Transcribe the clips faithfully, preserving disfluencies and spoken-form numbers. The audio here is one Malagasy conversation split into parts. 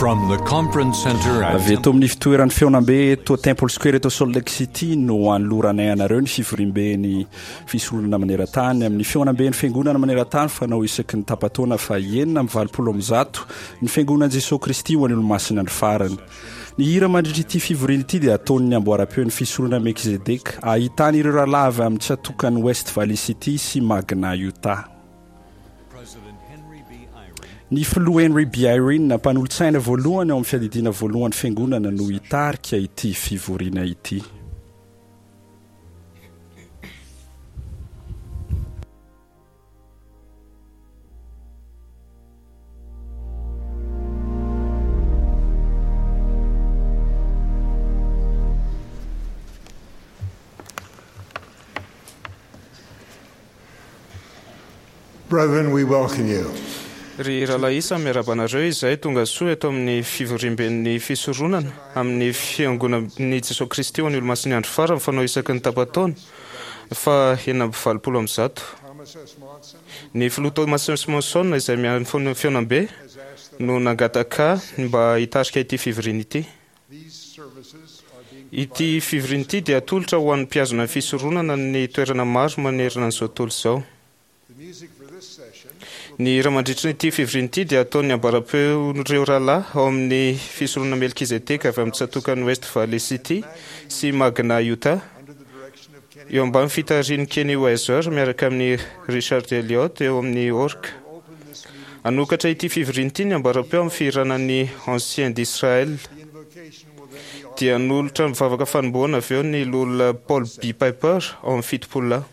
From the conference center at Avy eto amin'ny fitoeran'ny fihaonambe eto Temple Square eto Salt Lake City no anoloranay anareo ny fivoriamben'ny fisoronana maneran-tany amin'ny fihaonamben'ny fiangonana maneran-tany fanao isaky ny tapa-taona fa enina amby valopolo amby zato ny fiangonan'i Jesoa Kristy ho an'ny Olomasina andro farany. Ny hira mandritra ity fivoriana ity dia ataon'ny amboaram-peon'ny fisoronana Melkizedeka ahitana ireo rahalahy avy amin'ny tsatòkan'i West Valley City sy Magna, Utah. Ny filoha Henry B. Eyring, mpanolotsaina voalohany ao amin'ny fiadidiana voalohan'ny Fiangonana no hitarika ity fivoriana ity. Brethren, we welcome you. Ry rahalahy isany, miarahaba anareo izay tonga soa eto amin'ny fivoriamben'ny fisoronana amin'ny Fiangonan'i Jesoa Kristy ho an'ny Olomasin'ny Andro Farany fanao isaky ny tapa-taona faha enina amby valopolo amby zato. Ny Filoha Thomas S. Monson izay miahy ny fihaonambe no nangataka ahy mba hitarika ity fivoriana ity. Ity fivoriana ity dia atolotra ho an'ny mpihazona ny fisoronana ny toerana maro manerana an'izao tontolo izao. Ny hira mandritra ity fivoriana ity dia ataon'ny ambaram-peon'ireo rahalahy ao amin'ny fisoronana Melkizedeka avy amin'ny tsatòkan'i West Valley City sy Magna, Utah, eo ambany fitarihin'i Kenny Weiser miaraka amin'i Richard Elliott eo amin'ny orga. Hanokatra ity fivoriana ity ny ambaram-peo amin'ny fihirana ny Anciens d'Israël. Dia hanolotra ny vavaka fanombohana avy eo ny Loholona Paul B. Piper ao amin'ny Fitopololahy.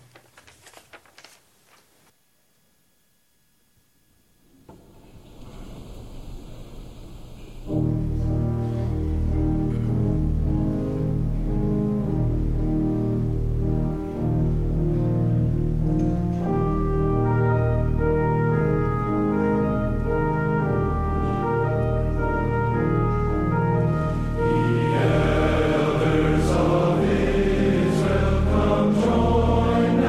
Elders of Israel, come join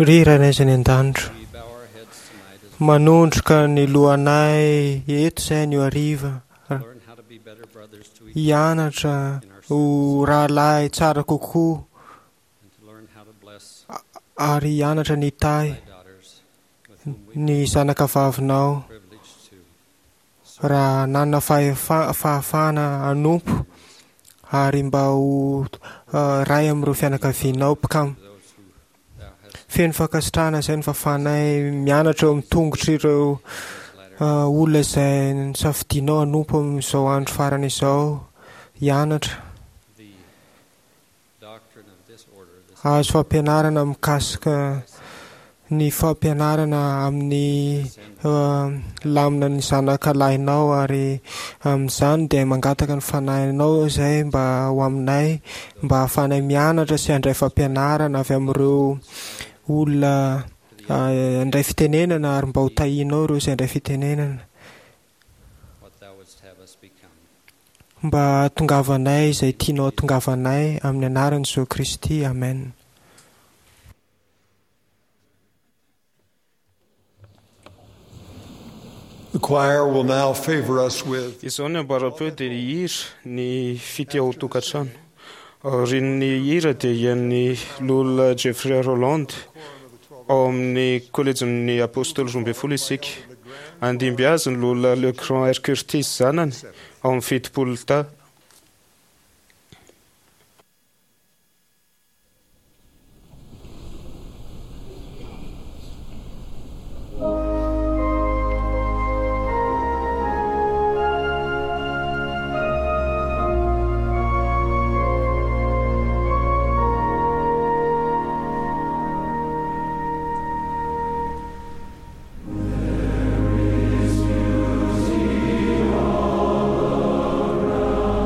Ry Rainay izay any an-danitra, manondroka ny lohanay eto izay anio hariva, hianatra ho rahalahy tsara kokoa ary hianatra ny hitahy ny zanaka vavinao raha nanana fahefa- fahafahana hanompo ary mba ho ray amin'ireo fianakavianao mpikam. Feno fankasitrahana izay ny fahafahanay mianatra eo amin'ny tongotr'ireo olona izay nisafidianao hanompo amin'izao andro farany izao, hianatra azo fampianarana mikasika ny fampianarana amin'ny lamina ny zanaka lahinao, ary amin'izany dia mangataka ny fanahinao izay mba ho aminay, mba hahafahanay mianatra sy handray fampianarana avy amin'ireo olona handray fitenenana, ary mba ho tahianao ireo izay handray fitenenana, mba hahatongavanay izay tianao hahatongavanay amin'ny anaran'i Jesoa Kristy. Amen. The choir will now favor us with Izao ny ambaram-peo dia hira ny fitia ao tokantrano. Aorian'ny hira dia ian'ny loholona Jeffrey Roland ao amin'ny kolejin'ny Apôstôly roa ambin'ny folo isika. Andimby azy ny loholona Le Grand R. Curtis zanany ao amin'ny fitopolo ta. There is beauty all around.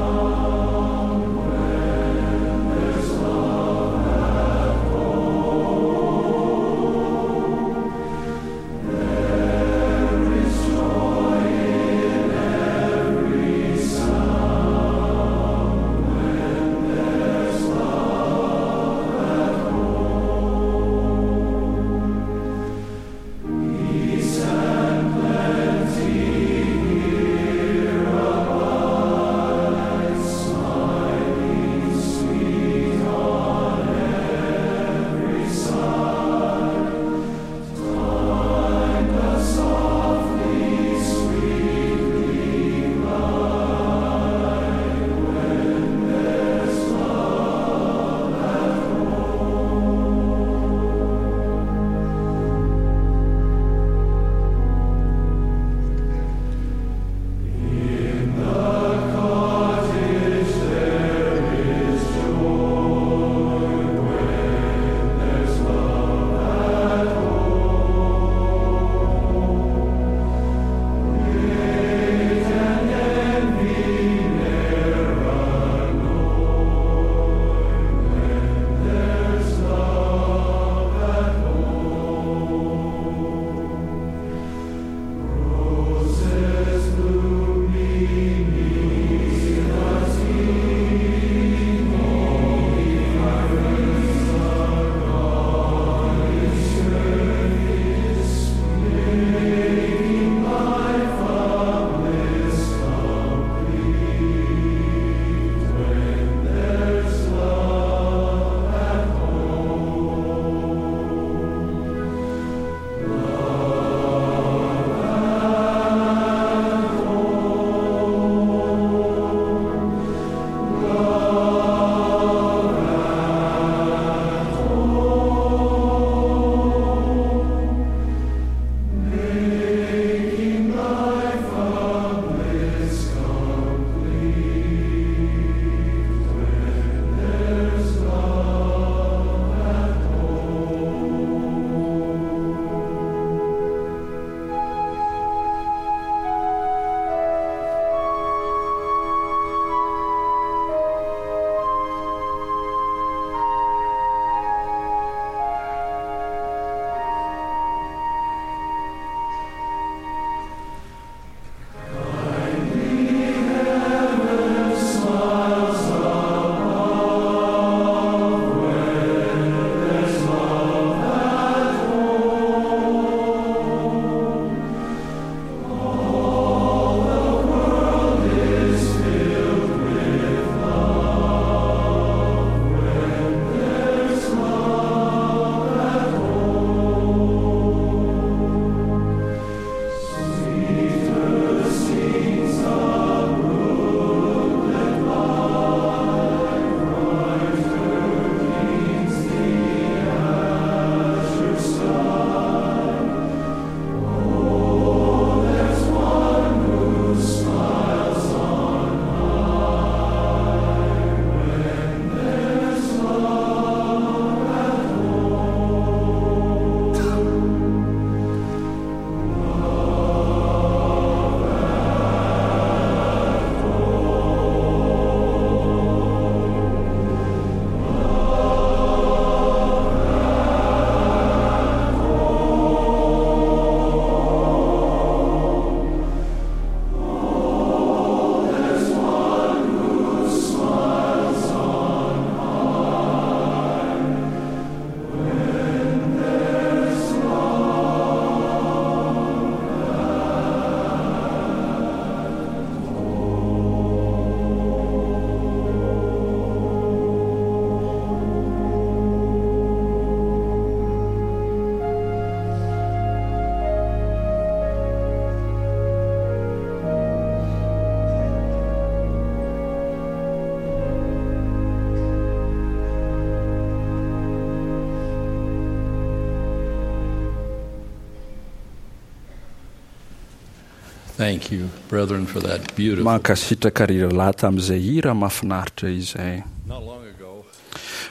Thank you, brethren, for that beautiful. Mankasitraka ry rahalahy tamin'izay hira mahafinaritra izay. Not long ago,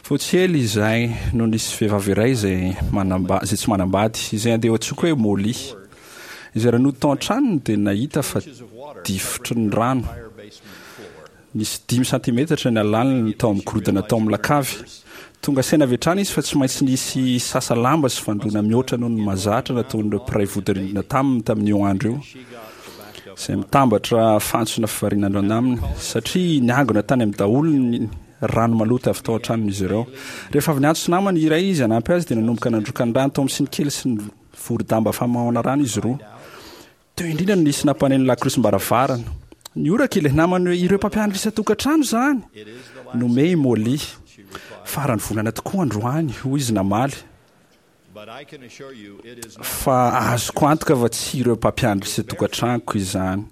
Vao tsy ela izay no nisy vehivavy iray izay manamba- izay tsy manambady, izay andeha antsoiko hoe Molly. Izay raha nody tao an-tranony dia nahita fa difotry ny rano. entire basement floor. Nisy dimy santimetatra ny halaliny tao amin'ny gorodona tao amin'ny lakavy. Tonga saina avy hatrany izy fa tsy maintsy nisy sasa lamba sy fandroana mihoatra noho ny mahazatra nataon'ireo mpiray vodirindrina taminy tamin'io andro io. She got the backed up Izay mitambatra fantsona fivarinandro aminy satria niangona tany amin'ny daholo ny rano maloto avy tao an-tranon'izy ireo. Rehefa avy niantso namany iray izy hanampy azy dia nanomboka nandroka ny rano tao amin'ny siny kely sy ny vorodamba famahana rano izy roa. Teo indrindra no nisy nampaneno lakrosim-baravarana. Nioraka ilay namany hoe ireo mpampianatra isan-tokantrano izany. It is the last Nome i Molly. she replied. Farany volana tokoa androany, hoy izy namaly. But I can assure you it is not Fa azoko antoka fa tsy ireo mpampianatra isan-tokantranoko izany.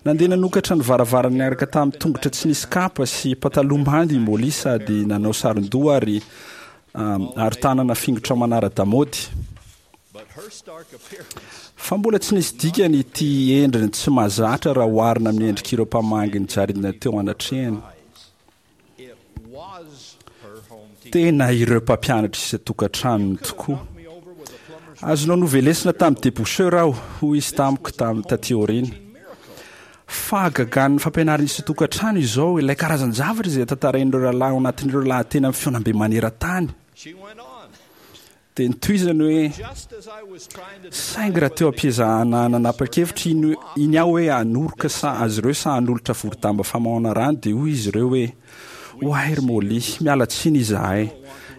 Nandeha nanokatra ny varavarana niaraka tamin'ny tongotra tsy nisy kapa sy pataloha mandy i Molly sady nanao saron-doha ary um, ary tanana fingotra manara-damaody. but her stark appearance Fa mbola tsy nisy dikany ity endriny tsy mahazatra raha oharina amin'ny endrik'ireo mpamangy nijaridina teo anatrehany. eyes. It was her home teacher. Tena ireo mpampianatra isan-tokantranony tokoa. Knocked me over with a plumber's Azonao novelesina tamin'ny déboucheur aho, hoy izy tamiko tamin'ny taty aoriana. miracle. Fahagagan'ny fampianarana isan-tokantrano izao ilay karazan-javatra izay tantarain'ireo rahalahy ao anatin'ireo lahateny amin'ny fihaonambe maneran-tany. She went on. Dia nitohizany hoe Just as I was trying to saingy raha teo am-piezahana nanapa-kevitra iny iny aho hoe hanoroka sa azy ireo sa hanolotra vorodamba famahana rano dia hoy izy ireo hoe oay ry Molly, miala tsiny izahay.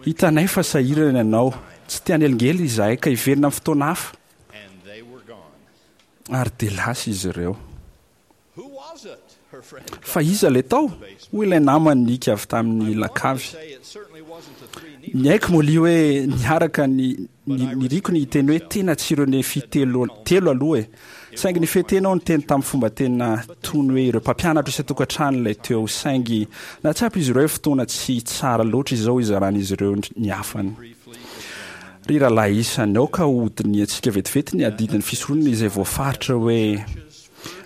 Hitanay fa sahirana ianao. Tsy te hanelingely izahay ka hiverina amin'ny fotoana hafa. and they were gone. Ary dia lasa izy ireo. Who was it? Her friend Fa iza ilay tao? Hoy ilay namany nika avy tamin'ny lakavy. say it certainly wasn't the three Nephites. Niaiky Molly hoe niaraka ny ny- niriko ny hiteny hoe tena tsy ireo nefy telo telo aloha e. Saingy ny fetena aho niteny tamin'ny fomba tena tony hoe ireo mpampianatra isan-tokantrano ilay teo saingy nahatsapa izy ireo hoe fotoana tsy tsara loatra izao izaran'izy ireo ny hafany. Ry rahalahy isany, aoka hodinihantsika vetivety ny adidin'ny fisoronana izay voafaritra hoe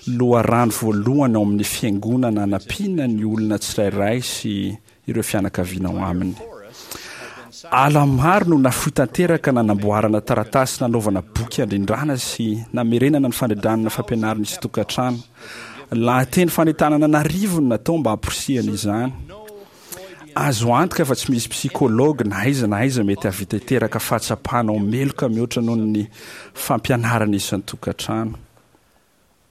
loharano voalohany ao amin'ny fiangonana hanampiana ny olona tsirairay sy ireo fianakaviana ao aminy. Ala maro no nafoy tanteraka nanamboarana taratasy nanaovana boky andrindrana sy namerenana ny fandrindrana fampianarana isan-tokantrano. Lahateny fanentanana an'arivony natao mba hamporisihana izany. Azo antoka fa tsy misy psikology na aiza na aiza mety hahavita hiteraka fahatsapana ho meloka mihoatra noho ny fampianarana isan-tokantrano.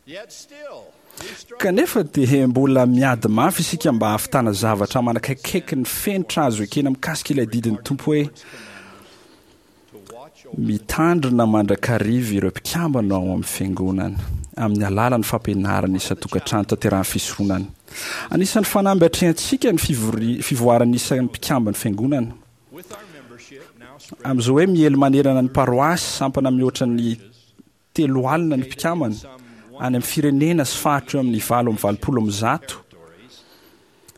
Yet still, we struggle Kanefa dia mbola miady mafy isika mba hahavitana zavatra manakaikaiky ny fenitra azo ekena mikasika ilay didin'ny Tompo hoe to watch over mitandrina mandrakariva ireo mpikambana ao amin'ny fiangonana amin'ny alalan'ny fampianarana isan-tokantrano tanterahan'ny fisoronana. Anisan'ny fanamby atrehantsika ny fivori- fivoaran'ny isan'ny mpikamban'ny fiangonana. with our membership now spread Amin'izao hoe miely manerana ny paroasy sampana mihoatra ny telo alina ny mpikambana any amin'ny firenena sy faritra eo amin'ny valo amby valopolo amby zato territories.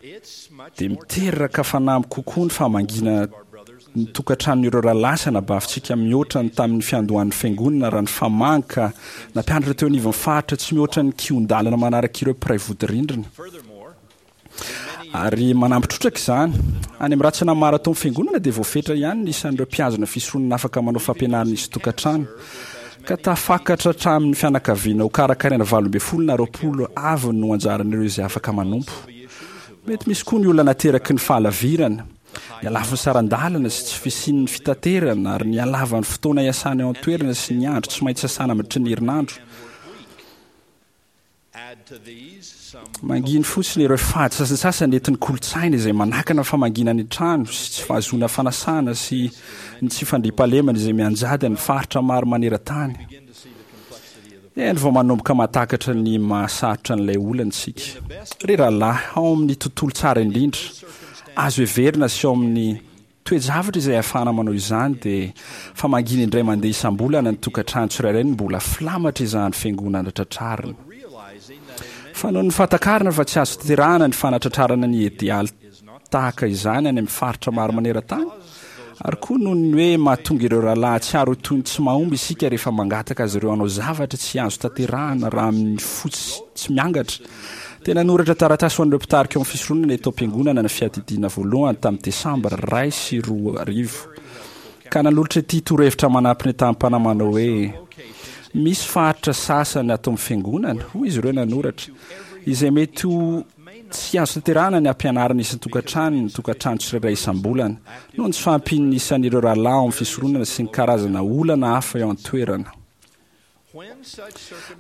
It's much dia more miteraka fanamby kokoa ny famangiana our brothers and ny tokantranon'ireo rahalahy sy anabavintsika mihoatra ny tamin'ny fiandohan'ny fiangonana raha ny famangy ka nampianatra teo anivon'ny faritra tsy mihoatra ny kihon-dalana manaraka ireo mpiray vodirindrina. Furthermore, Ary manampy trotraka izany. Any amin'ny ratsana maro atao amin'ny fiangonana dia voafetra ihany ny isan'ireo mpihazona fisoronana afaka manao fampianarana isan-tokantrano. Ka tafakatra hatramin'ny fianakaviana ho karakaraina valo ambin'ny folo na roapolo avy no anjaran'ireo izay afaka manompo. Mety misy koa ny olona nateraky ny fahalavirana, ny halavan'ny saran-dalana sy tsy fisian'ny fitaterana ary ny halavan'ny fotoana iasana eo an-toerana sy ny andro tsy maintsy iasana mandritra ny herinandro. add to these some Manginy fotsiny ireo fady sasantsasany entin'ny kolontsaina izay manakana famangiana ny trano sy tsy fahazoana fanasana sy ny tsy fandriampahalemana izay mianjady amin'ny faritra maro maneran-tany. begin to see the complexity of the Eny vao manomboka mahatakatra ny mahasarotra an'ilay olana isika. Ry rahalahy, ao amin'ny tontolo tsara indrindra, azo heverina sy ao amin'ny toe-javatra izay ahafahana manao izany dia famangiana indray mandeha isam-bolana ny tokantrano tsirairay no mbola filamatra izany fiangonana tratrarina. realizing that in many Fa noho ny fahatakarana fa tsy azo tanterahana ny fanatratrarana ny idealy tahaka izany any amin'ny faritra maro maneran-tany Ary koa noho ny hoe mahatonga ireo rahalahy hahatsiaro ho toy ny tsy mahomby isika rehefa mangataka azy ireo hanao zavatra tsy azo tanterahana raha amin'ny fo tsy miangatra. Dia nanoratra taratasy ho an'ireo mpitarika ao amin'ny fisoronana eto am-piangonana ny fiadidiana voalohany tamin'ny desambra iray sy roa arivo, ka nanolotra ity torohevitra manampy ny tamim-panahy manao hoe: Misy faritra sasany ato amin'ny fiangonana, hoy izy ireo nanoratra, izay mety ho tsy azo tanterahana ny hampianarana isan-tokantrano ny tokantrano tsirairay isam-bolana, noho ny tsy fahampian'ny isan'ireo rahalahy ao amin'ny fisoronana sy ny karazana olana hafa eo an-toerana.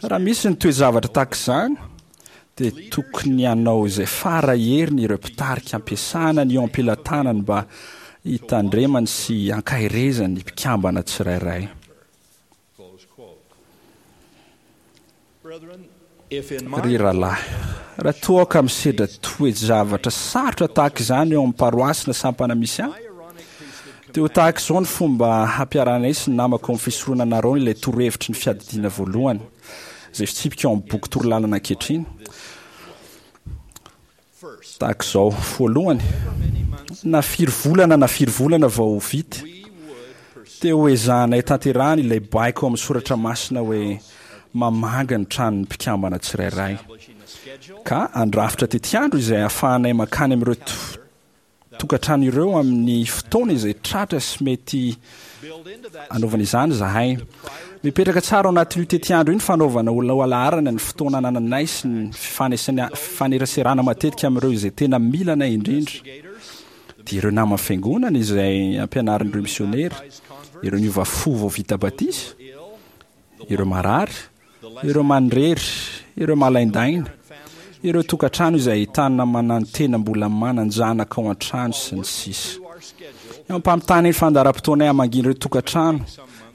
Raha misy ny toe-javatra tahaka izany, dia tokony hanao izay fara heriny ireo mpitarika ampiasana ny eo am-pelatanany mba hitandremany sy hankaherezany ny mpikambana tsirairay. Ry rahalahy, raha toa aho ka misedra toe-javatra sarotra tahaka izany eo amin'ny paroasy na sampana misy ahy, dia ho tahaka izao ny fomba hampiharanay sy ny namako ao amin'ny fisoronana Arona ilay torohevitry ny fiadidiana voalohany, izay fitsipika ao amin'ny boky torolalana ankehitriny. Tahaka izao, voalohany, na firy volana na firy volana vao ho vita, dia ho ezahanay tanterahana ilay baiko ao amin'ny soratra masina hoe mamangy ny tranon'ny mpikambana tsirairay, ka handrafitra tetiandro izay ahafahanay mankany amin'ireo tokantrano ireo amin'ny fotoana izay tratra sy mety anaovana izany izahay. Mipetraka tsara ao anatin'io tetiandro io ny fanaovana ho lohalaharana ny fotoana anananay sy ny fifaneraserana matetika amin'ireo izay tena mila anay indrindra, dia ireo naman'ny fiangonana izay ampianarin'ireo misionera, ireo niova fo vao vita batisa, ireo marary, ireo manirery, ireo malaindaina, ireo tokantrano izay ahitana manantena mbola manan-janaka ao an-trano sy ny sisa. Eo am-pamitana iny fandaharam-potoanay hamangiana ireo tokantrano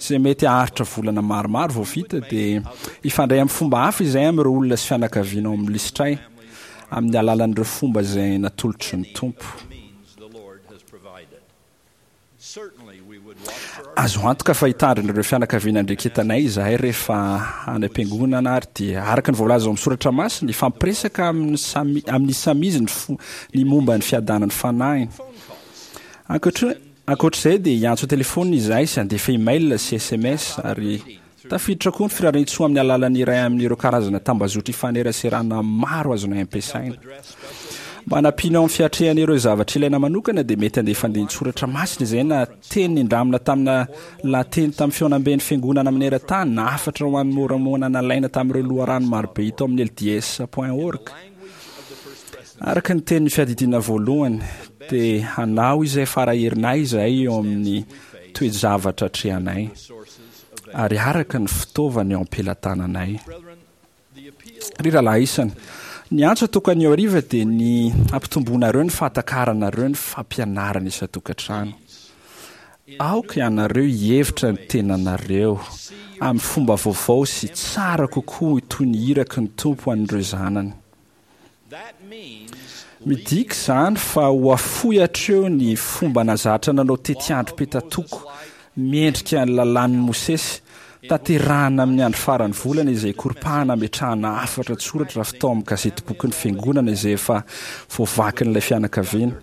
izay mety haharitra volana maromaro vao vita, dia hifandray amin'ny fomba hafa izahay amin'ireo olona sy fianakaviana ao amin'ny lisitray amin'ny alalan'ireo fomba izay natolotry ny Tompo. Azo antoka fa hitandrina ireo fianakaviana andreketanay izahay rehefa any am-piangonana ary dia araka ny voalaza ao amin'ny soratra masina, hifampiresaka amin'ny samy amin'ny samy izy ny fo ny momba ny fiadanan'ny fanahiny. Ankoatra ankoatr'izay dia hiantso an-telefaonina izahay sy handefa email sy S M S ary tafiditra koa ny firarian-tsoa amin'ny alalan'ny iray amin'ireo karazana tambazotra ifaneraserana maro azonay ampiasaina. Mba hanampiana eo amin'ny fiatrehana ireo zavatra ilaina manokana dia mety handefa andinin-tsoratra masina izay na teny nindramina tamina lahateny tamin'ny fihaonamben'ny fiangonana maneran-tany na hafatra ho an'ny Môrmôna nalaina tamin'ireo loharano marobe hita ao amin'ny L D S point org. Araka ny tenin'ny fiadidiana voalohany, dia hanao izay fara herinay izahay eo amin'ny toe-javatra atrehanay, ary araka ny fitaovana eo am-pelatananay. Ry rahalahy isany, ny antso ataoko anio hariva dia ny hampitomboanareo ny fahatakaranareo ny fampianarana isan-tokantrano. Aoka ianareo hihevitra ny tenanareo amin'ny fomba vaovao sy tsara kokoa toy ny iraky ny Tompo an'ireo zanany. Midika izany fa ho afoy hatreo ny fomba nahazatra nanao tetiandro petatoko miendrika ny lalàn'i Mosesy, tanterahana amin'ny andro faran'ny volana izay koropahana ametrahana hafatra an-tsoratra avy tao amin'ny gazetibokin'ny fiangonana izay efa voavakin'ilay fianakaviana.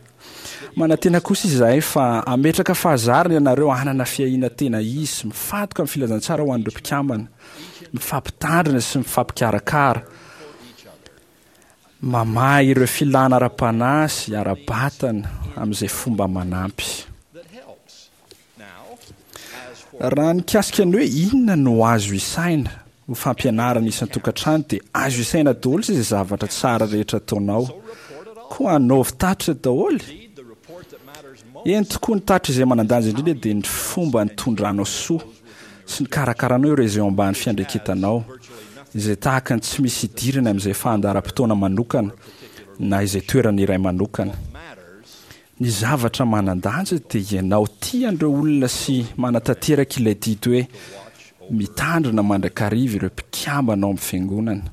Manantena kosa izahay fa hametraka fahazarana ianareo hanana fiahiana tena izy sy mifantoka amin'ny filazantsara ho an'ireo mpikambana, mifampitandrina sy mifampikarakara, mamaha ireo filàna ara-panahy sy ara-batana amin'izay fomba manampy. Raha nikasika ny hoe inona no azo isaina ho fampianarana isan-tokantrano, dia azo isaina daholo izay zavatra tsara rehetra ataonao. Koa anaovy tatitra daholo. Eny tokoa, ny tatitra izay manan-danja indrindra dia ny fomba nitondranao soa sy nikarakaranao ireo izay eo ambany fiandraiketanao, izay tahaka ny tsy misy idirany amin'izay fandaharam-potoana manokana na izay toerana iray manokana. Ny zavatra manan-danja dia ianao tia an'ireo olona sy manatanteraka ilay didy hoe mitandrina mandrakariva ireo mpikambana ao amin'ny fiangonana.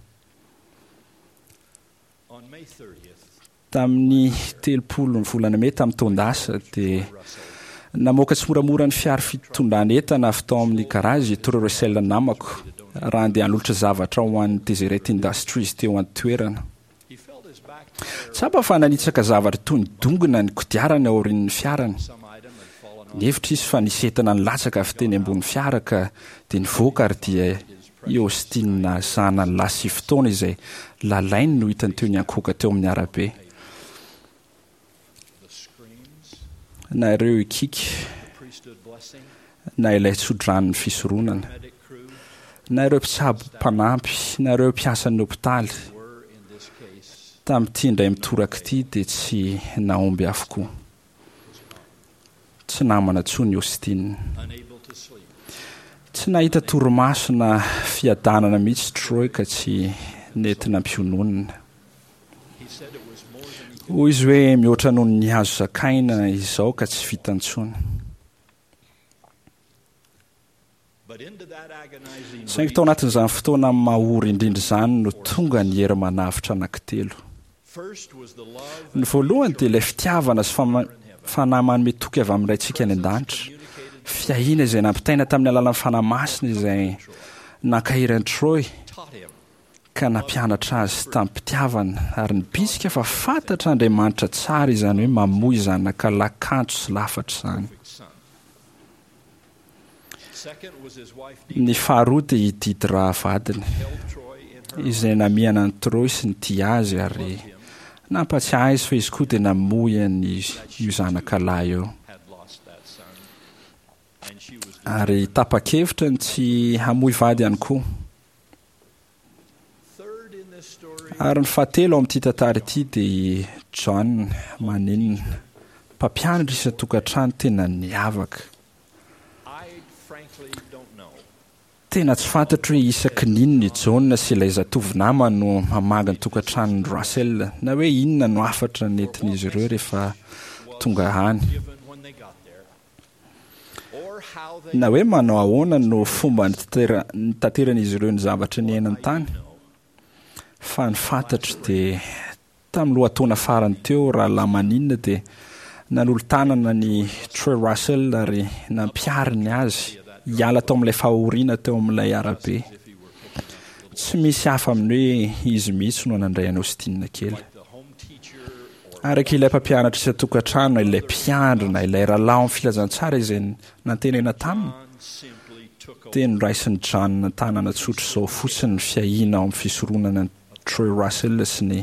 Tamin'ny telopolo ny volana mey tamin'ny taon-dasa dia namoaka tsimoramora ny fiara fitondrana entana avy tao amin'ny garazy i Troy Russell namako raha handeha hanolotra zavatra ho an'ny Deseret Industries teo an-toerana. Tsapa fa nanitsaka zavatra toy ny dongona ny kodiarany aorian'ny fiarany. Nihevitra izy fa nisy entana nilatsaka avy teny ambony fiara ka dia nivoaka ary dia i Austin zanany lahy sivy taona izay lalainy no hitany teo niankohoka teo amin'ny arabe. Na ireo hikiky, na ilay tsodranon'ny fisoronana, na ireo mpitsabo mpanampy, na ireo mpiasan'ny hopitaly, tamin'ity indray mitoraka ity dia tsy nahomby avokoa. Tsy namana intsony Austin. Tsy nahita torimaso na fiadanana mihitsy Troy ka tsy nety nampiononina. Hoy izy hoe mihoatra noho ny azo zakaina izao ka tsy vita intsony. Saingy tao anatin'izany fotoana mahory indrindra izany no tonga ny hery manavotra anankitelo. Ny voalohany dia ilay fitiavana sy fanahy manome toky avy amin'ny Raintsika any an-danitra. Fiahiana izay nampitaina tamin'ny alalan'ny Fanahy Masina izay nankahery an'i Troy ka nampianatra azy tamim-pitiavana ary nibitsika fa fantatr'Andriamanitra tsara izany hoe mamoy zanaka lahy kanto sy lafatra izany. Ny faharoa dia i Didra vadiny, izay namihana an'i Troy sy nitia azy ary nampatsiahy azy fa izy koa dia namoy an'io zanaka lahy io. Ary tapa-kevitra ny tsy hamoy vady ihany koa. Ary ny fahatelo ao amin'ity tantara ity dia i John Maninona, mpampianatra isan-tokantrano tena niavaka. Tena tsy fantatro hoe isaky ny inona i John sy ilay zatovo namany no mamangy ny tokantranon'i Russell, na hoe inona no hafatra nentin'izy ireo rehefa tonga any, na hoe manao ahoana no fomba nitateran'izy ireo ny zavatra niainany tany. Fa ny fantatro dia tamin'ny lohataona farany teo rahalahy Maninona dia nanolo-tanana ny Troy Russell ary nampihariny azy hiala tao amin'ilay fahoriana teo amin'ilay arabe. Tsy misy hafa amin'ny hoe izy mihitsy no nandray an'i Austin kely. Araka ilay mpampianatra isan-tokantrano, ilay mpiandrina, ilay rahalahy ao amin'ny filazantsara izay nantenaina taminy, dia noraisin'i John an-tanana tsotra izao fotsiny ny fiahiana ao amin'ny fisoronana an'i Troy Russell sy ny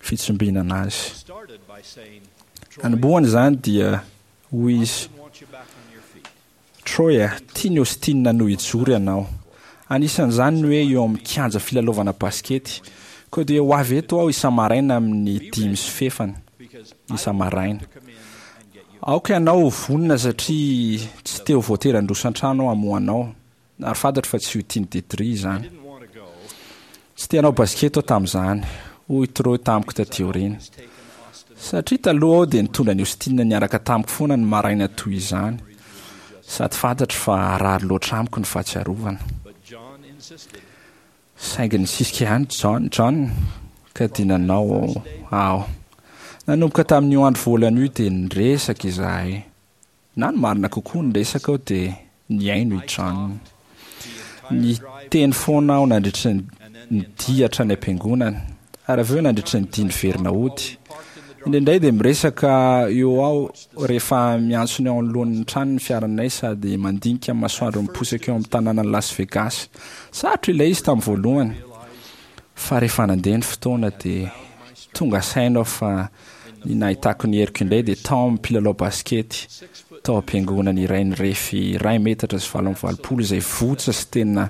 fitsimbinana azy. Nanombohana izany dia hoy izy, Troy a, tian'i Austin no hijoro ianao. Anisan'izany ny hoe eo amin'ny kianja filalaovana basikety. Koa dia ho avy eto aho isa-maraina amin'ny dimy sy fefany, isa-maraina. Aoka ianao ho vonona satria tsy te ho voatery handroso an-trano aho hamoha anao. Ary fantatro fa tsy ho tian'i Dedri izany. Tsy te hanao basikety aho tamin'izany, hoy Troy tamiko taty aoriana. Satria taloha aho dia nitondra an'i Austin niaraka tamiko foana ny maraina toy izany, sady fantatro fa harary loatra amiko ny fahatsiarovana. Saingy nisisika ihany John, John, ka dia nanao aho. Nanomboka tamin'io andro voalohany io dia niresaka izahay. Na ny marina kokoa niresaka aho dia nihaino i John. Niteny foana aho nandritra ny dia hatrany am-piangonana, ary avy eo nandritra ny dia niverina hody. Indraindray dia miresaka eo aho rehefa miantsona eo anoloan'ny trano ny fiaranay sady mandinika ny masoandro miposaka eo amin'ny tanànan'i Las Vegas. Sarotra ilay izy tamin'ny voalohany, fa rehefa nandeha ny fotoana dia tonga saina aho fa ny nahitako ny heriko indray dia tao amin'ny mpilalao basikety tao am-piangonana iray nirefy iray metatra sy valo amby valopolo izay votsa sy tena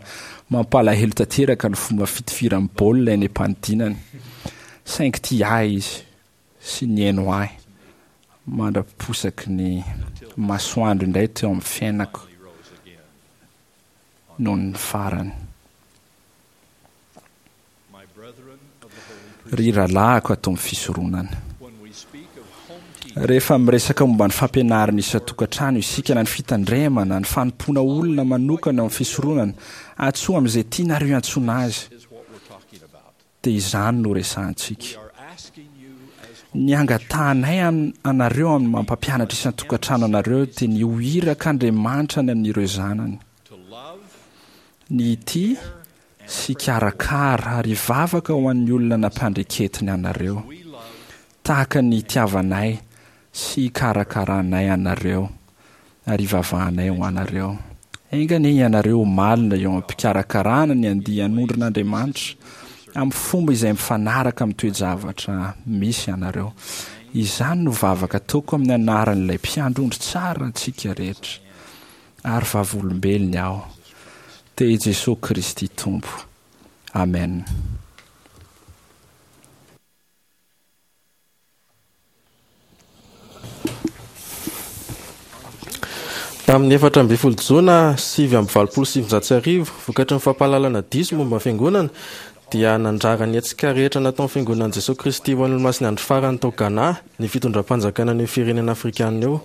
mampalahelo tanteraka ny fomba fitifiran'ny baolina eny am-panidinana. Saingy tia ahy izy sy nihaino ahy mandra-piposaky ny masoandro indray teo amin'ny fiainako noho ny farany. Ry rahalahiko ato amin'ny fisoronana, rehefa miresaka momba ny fampianarana isan-tokantrano isika na ny fitandremana, ny fanompoana olona manokana ao amin'ny fisoronana, antsoa amin'izay tianareo hiantsoana azy, dia izany no resahantsika. Ny angatahanay anareo amin'ny maha mpampianatra isan-tokantrano anareo dia ny ho irak'Andriamanitra any amin'ireo zanany. Ny hitia sy hikarakara ary hivavaka ho an'ny olona nampandreketiny anareo, tahaka ny hitiavanay sy hikarakaranay anareo ary ivavahanay ho anareo. Enga anie ianareo malina eo am-pikarakarana ny andian'ondrin'Andriamanitra amin'ny fomba izay mifanaraka amin'ny toe-javatra misy anareo. Izany no vavaka ataoko amin'ny anaran'ilay mpiandry ondry tsara antsika rehetra, ary vavolombelony aho, dia Jesosy Kristy Tompo. Amen. Tamin'ny efatra ambin'ny folo jona sivy amby valopolo sy sivinjato sy arivo, vokatry ny fampahalalana diso momba ny fiangonana, dia nandrara ny hetsika rehetra nataon'ny fiangonan'i Jesosy Kristy ho an'ny Olomasin'ny Andro Farany tao Ghana ny fitondram-panjakana an'io firenena afrikanina io.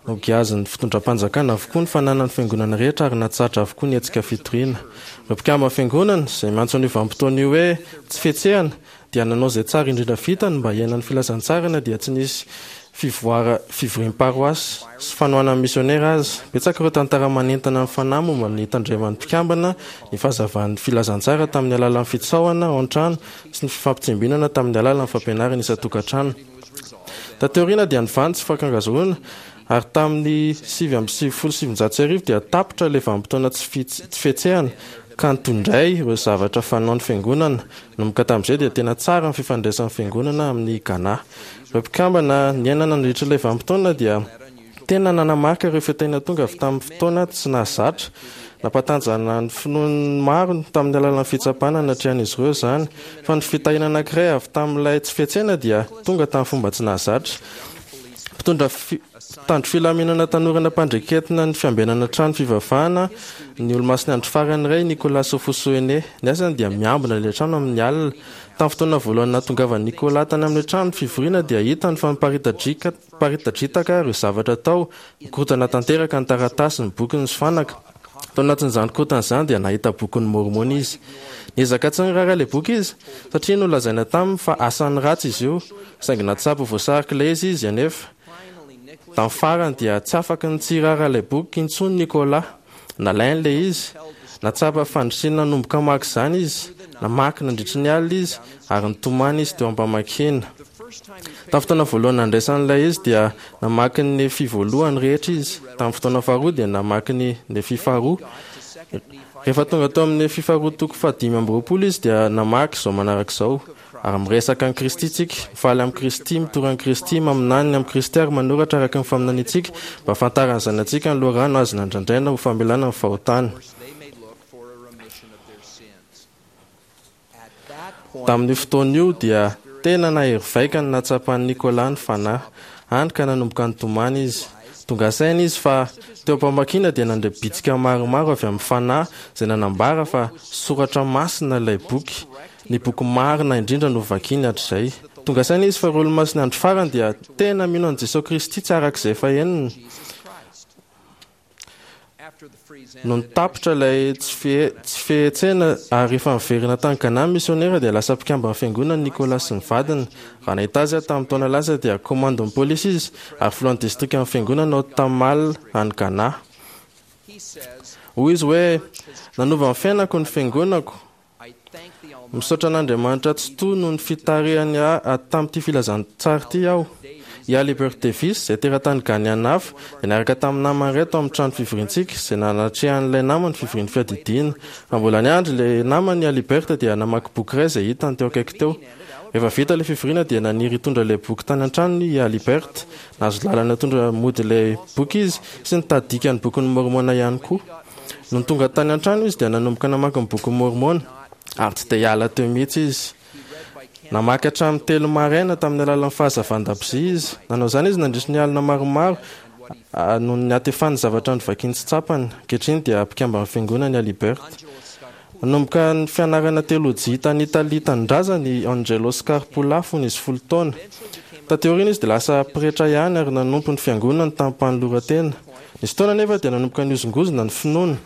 Nogiazin'ny fitondram-panjakana avokoa ny fananan'ny fiangonana rehetra ary natsahatra avokoa ny hetsika fitoriana. Ireo mpikambana fiangonana izay miantso an'io vanim-potoana io hoe tsy fihetsehana dia nanao izay tsara indrindra vitany mba hiainan'ny filazantsarana dia tsy nisy fivoara fivoriam-paroasy sy fanohanan'ny misionera aza. Betsaka ireo tantara manentana ny fanahy momba ny tandreman'ny mpikambana ny fahazavan'ny filazantsara tamin'ny alalan'ny fitsaohana ao an-trano sy ny fifampitsimbinana tamin'ny alalan'ny fampianarana isan-tokantrano. Taty aoriana dia nivaha ny tsy fankangazona ary tamin'ny sivy amby sivifolo sy sivinjato sy arivo dia tapitra ilay vanim-potoana tsy fihetsehana ka nitondray ireo zavatra fanao ny fiangonana. Nanomboka tamin'izay dia tena tsara ny fifandraisan'ny fiangonana amin'ny Ghana. Ireo mpikambana niaina nandritra ilay vanim-potoana dia tena nanamarika ireo fitahiana tonga avy tamin'ny fotoana tsy nahazatra. Nampatanjana ny finoan'ny maro tamin'ny alalan'ny fitsapana natrehan'izy ireo izany, fa ny fitahiana anankiray avy tamin'ilay tsy fihetsehana dia tonga tamin'ny fomba tsy nahazatra. Mpitondra mpitandro filaminana tanora nampandreketina ny fiambenana trano fivavahana ny Olomasin'ny Andro Farany iray, Nicolas Ofosuhene. Ny asany dia miambina ilay trano amin'ny alina. Tamin'ny fotoana voalohany nahatongavan'i Nicolas tany amin'ilay trano fivoriana dia hitany fa miparitadritaka ireo zavatra tao, mikorontana tanteraka ny taratasy, ny boky, ny fanaka. Tao anatin'izany korontana izany dia nahita bokin'ny Môrmôna izy. Niezaka tsy niraharaha ilay boky izy satria nolazaina taminy fa asan'ny ratsy izy io, saingy nahatsapa ho voasarika ilay izy izy anefa. Tamin'ny farany dia tsy afaka ny tsy hiraharaha ilay boky intsony Nicolas. Nalainy ilay izy. Nahatsapa fandrisiana nanomboka hamaky izany izy. Namaky nandritry ny alina izy ary nitomany izy teo am-pamakiana. Tamin'ny fotoana voalohany nandraisan'ilay izy dia namaky ny Nefy voalohany rehetra izy. Tamin'ny fotoana faharoa dia namaky ny Nefy faharoa. Rehefa tonga tao amin'ny Nefy faharoa toko fahadimy amby roapolo izy dia namaky izao manaraka izao: ary miresaka an'i Kristy tsika, mifaly amin'i Kristy, mitory an'i Kristy, maminany ny amin'i Kristy ary manoratra araka ny faminaniantsika mba hahafantaran'ny zanatsika ny loharano azo nandrandraina ho famelana ny fahotana. Tamin'io fotoana io dia tena nahery vaika ny nahatsapan'i Nicolas ny fanahy, hany ka nanomboka nitomany izy. Tonga saina izy fa teo am-pamakiana dia nandre bitsika maromaro avy amin'ny fanahy izay nanambara fa soratra masina ilay boky, ny boky marina indrindra no vakiany hatrizay. Tonga saina izy fa ireo Olomasin'ny Andro Farany dia tena mino an'i Jesosy Kristy tsy araka izay efa henony. Nony tapitra ilay tsy fihetsehana ary rehefa niverina tany Ghana ny misionera dia lasa mpikamban'ny fiangonana Nicolas sy ny vadiny. Raha nahita azy aho tamin'ny taona lasa dia komandin'ny polisy izy ary filohan'ny distrikan'ny fiangonana ao Tamale any Ghana. Hoy izy hoe, Nanova ny fiainako ny fiangonako. Misaotra an'Andriamanitra Tsitoha noho ny fitarihany ahy tamin'ity filazantsara ity aho. I Alibert Davis, izay teratany Ghaneana hafa, dia niaraka tamin'ny namany iray tao amin'ny trano fivoriantsika, izay nanatrehan'ilay namany fivorian'ny fiadidiana. Raha mbola niandry ilay namany i Alibert dia namaky boky iray izay hitany teo akaiky teo. Rehefa vita ilay fivoriana dia naniry hitondra ilay boky tany an-tranony i Alibert. Nahazo lalana hitondra mody ilay boky izy sy nitady dikan'ny Bokin'i Môrmôna ihany koa. Nony tonga tany an-trano izy dia nanomboka namaky ny Bokin'i Môrmôna, ary tsy dia hiala teo mihitsy izy. Namaky hatramin'ny telo maraina tamin'ny alalan'ny fahazavan-dakozia izy. Nanao izany izy nandritry ny alina maromaro noho ny hatefan'ny zavatra novakiany tsy tsapany. Ankehitriny dia mpikamban'ny Fiangonana i Alibert. Nanomboka ny fianarana teolojia tany Italia tanindrazany i Angelo Scarpulla fony izy folo taona. Taty aoriana izy dia lasa pretra ihany ary nanompo ny fiangonany tamim-panoloran-tena. Nisy fotoana anefa dia nanomboka nihozongozona ny finoany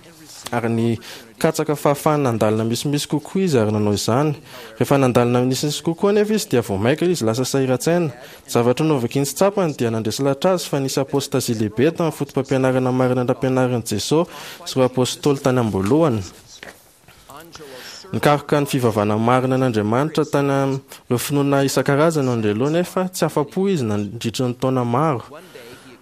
ary nikatsaka fahafahana nandalina misimisy kokoa izy ary nanao izany. Rehefa nandalina misimisy kokoa anefa izy dia vao mainka izy lasa sahiran-tsaina. Zavatra novakiny sy tsapany dia nandresy lahatra azy fa nisy apôstazia lehibe tamin'ny fotopampianarana marina nampianarin'i Jesoa sy ireo apôstôly tany am-boalohany. Nikaroka ny fivavahana marina an'Andriamanitra tany amin'ireo finoana isan-karazany Angelo nefa tsy afa-po izy nandritra ny taona maro.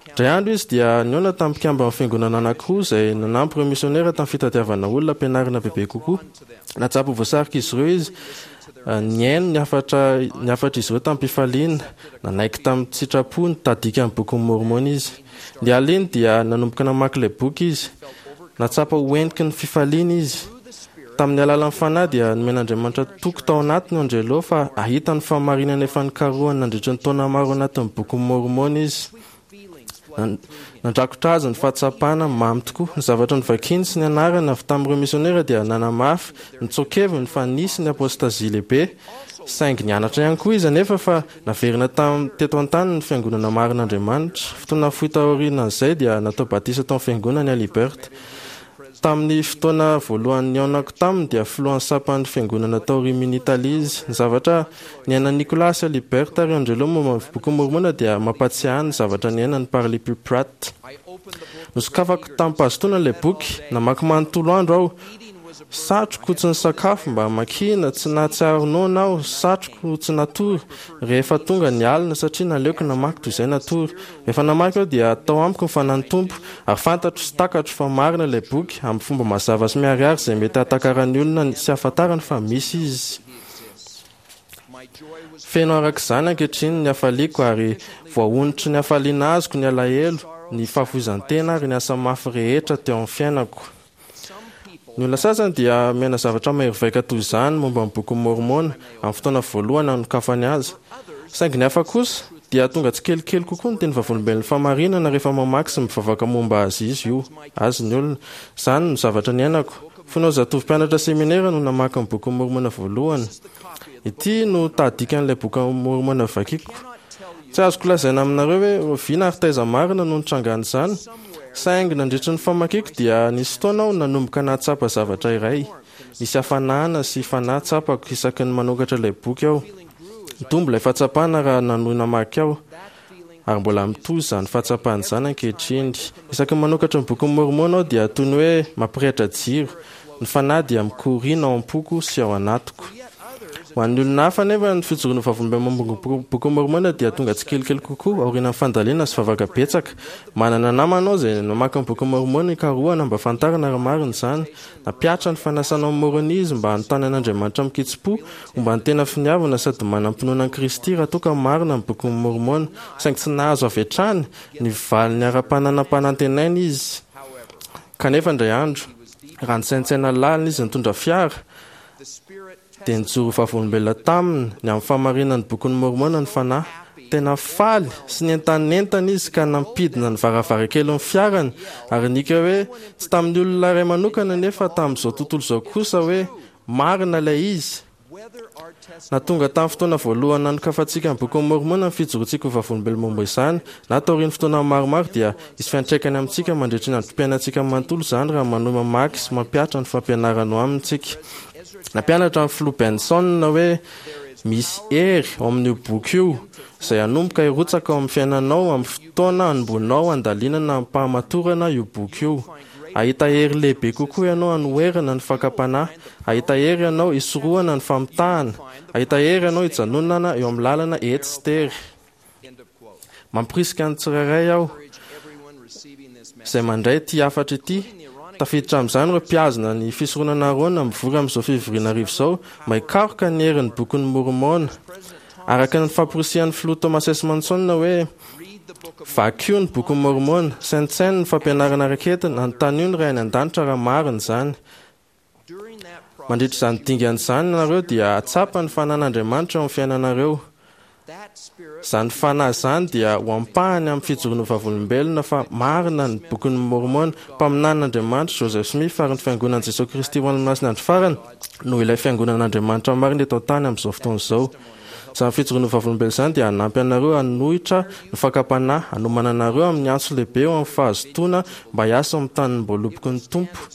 Indray andro izy dia nihaona tamin'ny mpikamban'ny fiangonana anankiroa izay nanampy ireo misionera tamin'ny fitadiavana olona ampianarina bebe kokoa. Nahatsapa ho voasarika izy ireo izy, nihaino ny hafatra ny hafatr'izy ireo tamin'ny-pifaliana, nanaiky tamin'ny tsitrapo ny tahadikan'ny Bokin'i Môrmôna izy. Ny alina dia nanomboka namaky ilay boky izy. Nahatsapa ho heniky ny fifaliana izy. Tamin'ny alalan'ny Fanahy dia nomen'Andriamanitra toky tao anatiny Angelo fa hahita ny fahamarinana efa nikarohany nandritra ny taona maro anatin'ny Bokin'i Môrmôna izy. Nandrakotra azy ny fahatsapana mamy tokoa. Ny zavatra novakiny sy nianarany avy tamin'ireo misionera dia nanamafy ny tsoa-keviny fa nisy ny apôstazia lehibe. Saingy nianatra ihany koa izy anefa fa naverina tam teto an-tany ny fiangonana marin'Andriamanitra. Fotoana fohy taorian'izay dia natao batisa tao amin'ny fiangonany Alibert. Tamin'ny fotoana voalohany nihaonako taminy dia filohan'ny sampan'ny fiangonana tao Rimini, Italia izy. Ny zavatra niainan'i Nicolas sy Alibert ary Angelo momba ny Bokin'i Môrmôna dia mampahatsiahy ahy ny zavatra niainan'i Parley P. Pratt. Nosokafako tamim-pahazotoana ilay boky. Namaky manontolo andro aho. Satriko tsy nisakafo mba hamakiana, tsy nahatsiaro noana aho, satriko tsy natory rehefa tonga ny alina satria naleoko namaky toy izay natory. Rehefa namaky aho dia tao amiko ny Fanahin'ny Tompo, ary fantatro sy takatro fa marina ilay boky, amin'ny fomba mazava sy miharihary izay mety hahatakaran'ny olona sy hahafantarany fa misy Izy. Feno araka izany ankehitriny ny hafaliako ary voahonotry ny hafaliana azoko ny alahelo, ny fahafoizan-tena ary ny asa mafy rehetra teo amin'ny fiainako. Ny olona sasany dia miaina zavatra mahery vaika toy izany momba ny Bokin'i Môrmôna amin'ny fotoana voalohany hanokafany azy. Saingy ny hafa kosa dia tonga tsikelikely kokoa ny teny vavolombelon'ny fahamarinana rehefa mamaky sy mivavaka momba azy izy io, azy ny olona. Izany no zavatra niainako. Fony aho zatovo mpianatra seminera no namaky ny Bokin'i Môrmôna voalohany. Ity no tahadikan'ilay Bokin'i Môrmôna vakiko. Tsy azoko lazaina aminareo hoe oviana ary taiza marina no nitrangan'izany, saingy nandritry ny famakiako dia nisy fotoana aho nanomboka nahatsapa zavatra iray. Nisy hafanana sy fanahy tsapako isaky ny manokatra ilay boky aho. Nitombo ilay fahatsapana raha nanohy namaky aho, ary mbola mitohy izany fahatsapana izany ankehitriny. Isaky ny manokatra ny Bokin'i Môrmôna aho dia toy ny hoe mampirehitra jiro. Ny fanahy dia mikoriana ao am-poko sy ao anatiko. Ho an'ny olona hafa anefa, ny fijoroana ho vavolombelona momba ny Bokin'i Môrmôna dia tonga tsikelikely kokoa aorian'ny fandalinana sy vavaka betsaka. Manana namana aho izay namaky ny Bokin'i Môrmôna hikarohana mba hahafantarana raha marina izany. Nampihatra ny fanasana ao Môrônia izy mba hanontany an'Andriamanitra amin-kitsim-po momba ny tena finiavana sady manam-pinoana an'i Kristy raha toa ka marina ny Bokin'i Môrmôna. Saingy tsy nahazo avy hatrany ny valiny ara-pananam-panantenaina izy. Kanefa indray andro, raha nisaintsaina lalina izy nitondra fiara, dia nijoro ho vavolombelona taminy ny amin'ny fahamarinan'ny Bokin'i Môrmôna ny Fanahy. Tena faly sy nientanentana izy ka nampidina ny varavarankelin'ny fiarany ary nihiaka hoe, tsy tamin'ny olona iray manokana nefa tamin'izao tontolo izao kosa hoe, Marina ilay izy! Na tonga tamin'ny fotoana voalohany nanokafantsika ny Bokin'i Môrmôna ny fijoroantsika ho vavolombelona momba izany, na taorian'ny fotoana maromaro, dia hisy fiantraikany amintsika mandritry ny androm-piainantsika manontolo izany raha manohy mamaky sy mampihatra ny fampianarana ao aminy isika. Nampianatra ny Filoha Benson hoe misy hery ao amin'io boky io izay hanomboka hirotsaka ao amin'ny fiainanao amin'ny fotoana hanomboanao handalinana amim-pahamatorana io boky io. Hahita hery lehibe kokoa ianao hanoherana ny fakam-panahy. Hahita hery ianao hisorohana ny famitahana. Hahita hery ianao hijanonana eo amin'ny lalana ety sy tery. Mamporisika ny tsirairay aho izay mandray ity hafatra ity, tafiditra amin'izany ireo mpihazona ny fisoronana Arona mivory amin'izao fivoriana arivo izao, mba hikaroka ny herin'ny Bokin'i Môrmôna. Araka ny famporisihan'ny Filoha Thomas S. Monson hoe, Vakio ny Bokin'i Môrmôna, saintsaino ny fampianarana raketiny, anontanio ny Ray any An-danitra raha marina izany. Mandritra izany dingana izany ianareo dia hahatsapa ny fanan'Andriamanitra eo amin'ny fiainanareo. Izany fanahy izany dia ho ampahany amin'ny fijoroana ho vavolombelona fa marina ny Bokin'i Môrmôna. Mpaminanin'Andriamanitra Joseph Smith ary ny Fiangonan'i Jesoa Kristy ho an'ny Olomasin'ny Andro Farany no ilay Fiangonan'Andriamanitra marina eto an-tany amin'izao fotoana izao. Izany fijoroana ho vavolombelona izany dia hanampy anareo hanohitra ny fakam-panahy, hanomana anareo amin'ny antso lehibe eo amin'ny fahazotoana mba hiasa ao amin'ny tanim-boaloboky ny Tompo.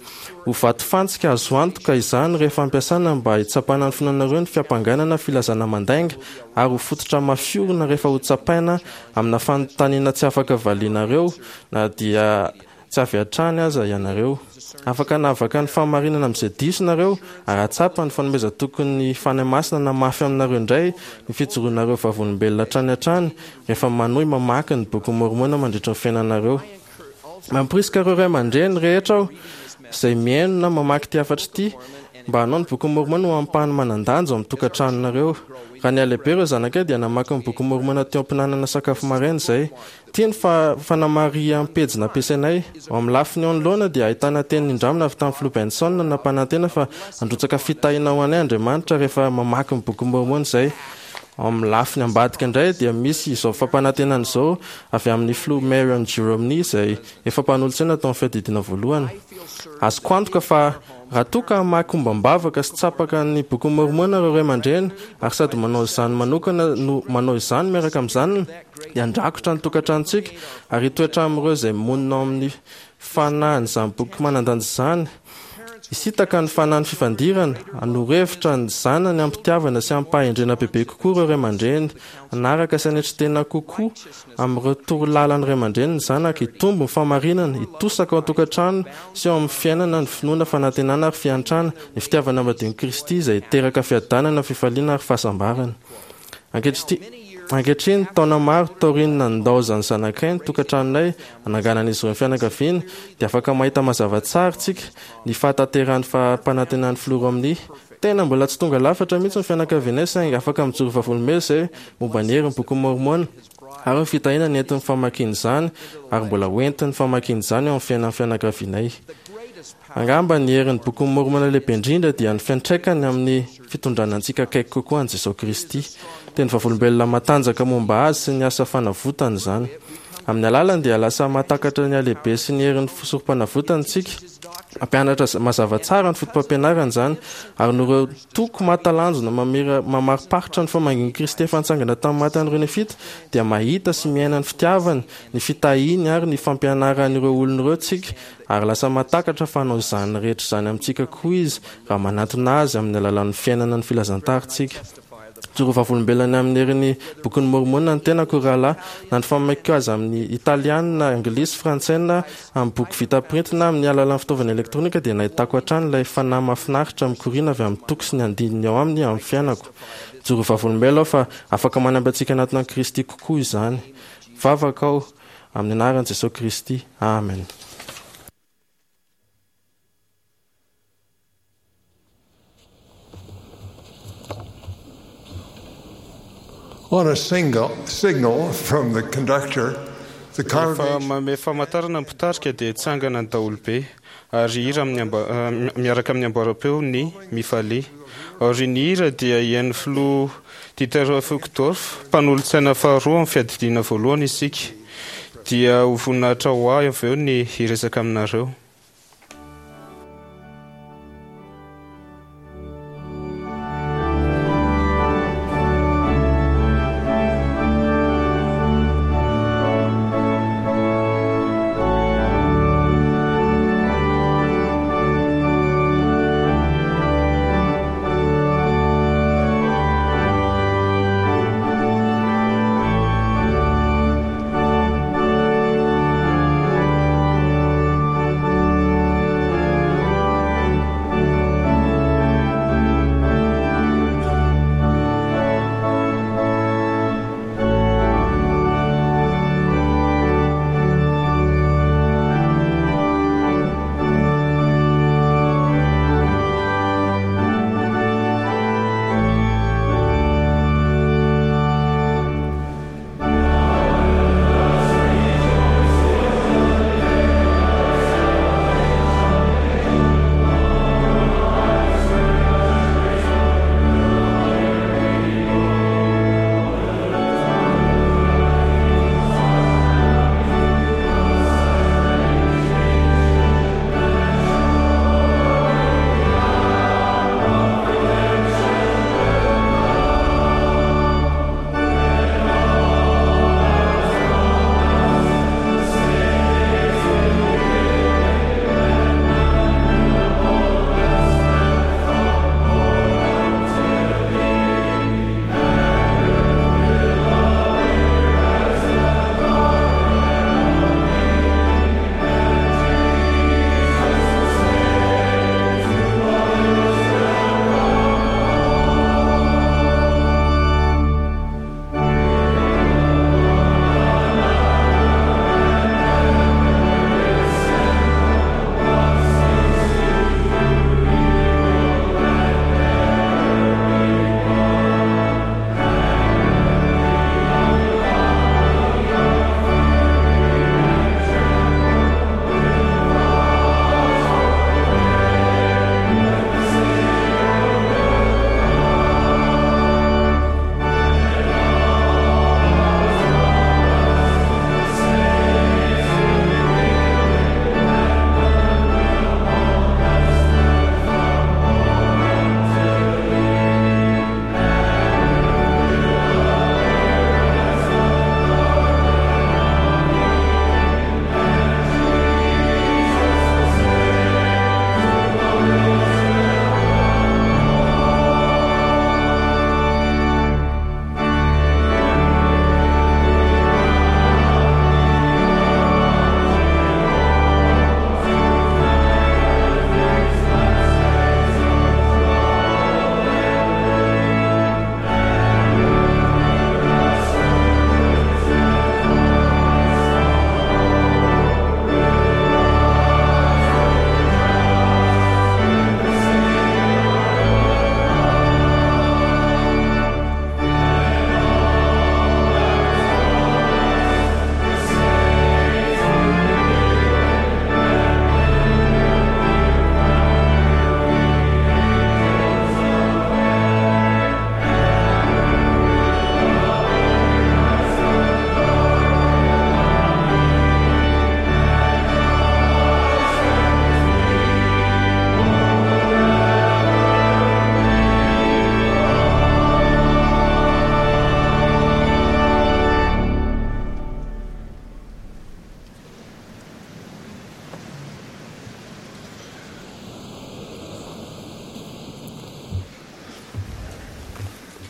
Ho vatofantsika azo antoka izany rehefa ampiasana mba hitsapana ny finoanareo ny fiampangana na filazana mandainga, ary ho fototra mafiorina rehefa hotsapaina amina fanontaniana tsy afaka valianareo na dia tsy avy hatrany aza ianareo. Afaka hanavaka ny fahamarinana amin'izay diso nareo ary hahatsapa ny fanomezan-tokin'ny Fanahy Masina hanamafy aminareo indray ny fijoroanareo vavolombelona hatrany hatrany rehefa manohy mamaky ny Bokin'i Môrmôna mandritra ny fiainanareo. Mamporisika ireo ray aman-dreny rehetra aho izay mihaino na mamaky ity hafatra ity mba hanao ny Bokin'i Môrmôna ho ampahany manan-danja ao amin'ny tokantranonareo. Raha nihalehibe ireo zanakay dia namaky ny Bokin'i Môrmôna teo am-pihinanana sakafo maraina izay. Ity ny fanamariham-pejy nampiasainay. Ao amin'ny lafiny eo anoloana dia ahitana teny nindramina avy tamin'ny Filoha Benson nampanantena fa handrotsaka fitahiana ho anay Andriamanitra rehefa mamaky ny Bokin'i Môrmôna izay. Ao amin'ny lafiny ambadika indray dia misy izao fampanantenana izao avy amin'ny Filoha Marion G. Romney izay efa mpanolotsaina tao amin'ny fiadidiana voalohany. Azoko antoka fa raha toa ka hamaky ombam-bavaka sy tsapaka ny Bokin'i Môrmôna ireo ray aman-dreny ary sady manao izany manokana no manao izany miaraka amin'ny zanany dia handrakotra ny tokantranontsika ary hitoetra amin'ireo izay monina ao amin'ny fanahin'izany boky manan-danja izany. Hisintaka ny fanahin'ny fifandirana, hanoro hevitra ny zanany amim-pitiavana sy amim-pahendrena bebe kokoa ireo ray aman-dreny, hanaraka sy hanetry tena kokoa amin'ireo torolalan'ny ray aman-dreny ny zanaka, hitombo ny fahamarinana, hitosaka ao an-tokantrano sy ao amin'ny fiainana ny finoana, fanantenana ary fiantrana, ny fitiavana madion'i Kristy izay hiteraka fiadanana, fifaliana ary fahasambarana. Ankehitriny, taona maro taorian'ny nandaozan'ny zanakay ny tokantranonay hananganan'izy ireo ny fianakaviany, dia afaka mahita mazava tsara isika ny fahatanterahan'ny fampanantenan'ny Filoha Romney. Tena mbola tsy tonga lafatra mihitsy ny fianakavianay, saingy afaka mijoro vavolombelona izay momba ny herin'ny Bokin'i Môrmôna ary ny fitahiana nentin'ny famakiana izany ary mbola hoentin'ny famakiana izany eo amin'ny fiainan'ny fianakavianay. Angamba ny herin'ny Bokin'i Môrmôna lehibe indrindra dia ny fiantraikany amin'ny fitondrana antsika akaiky kokoa an'i Jesoa Kristy. Teny vavolombelona matanjaka momba Azy sy ny asa fanavotany izany. Amin'ny alalany dia lasa mahatakatra ny halehibe sy ny herin'ny sorompanavotany isika. Mampianatra mazava tsara ny fotopampianarany izany, ary noho ireo toko mahatalanjona mamira mamariparitra ny famangian'i Kristy efa nitsangana tamin'ny maty an'ireo Nefita, dia mahita sy miaina ny fitiavany, ny fitahiany ary ny fampianarany ireo olona ireo isika, ary lasa mahatakatra fa hanao izany rehetra izany amintsika koa Izy raha manatona Azy amin'ny alalan'ny fiainana ny filazantara isika. Mijoro vavolombelona ny amin'ny herin'ny Bokin'i Môrmôna ny tenako, ry rahalahy. Na ny famakiako azy amin'ny Italiana, Anglisy, Frantsay na amin'ny boky vita printy na amin'ny alalan'ny fitaovana elektronika dia nahitako hatrany ilay fanahy mahafinaritra mikoriana avy amin'ny toko sy ny andininy ao aminy amin'ny fiainako. Mijoro vavolombelona aho fa afaka manampy antsika hanatona an'i Kristy kokoa izany. Mivavaka aho amin'ny anaran'i Jesoa Kristy. Amen. On a single, signal from the conductor, the Rehefa congregation manome famantarana ny mpitarika dia tsangana ny daholobe ary hira amin'ny amba- ah, miaraka amin'ny amboaram-peo ny mifalia. Aorian'ny hira dia hihaino filoha Dieter Uchtdorf, mpanolotsaina faharoa amin'ny fiadidiana voalohany isika. Dia ho voninahitra ho ahy avy eo ny hiresaka aminareo.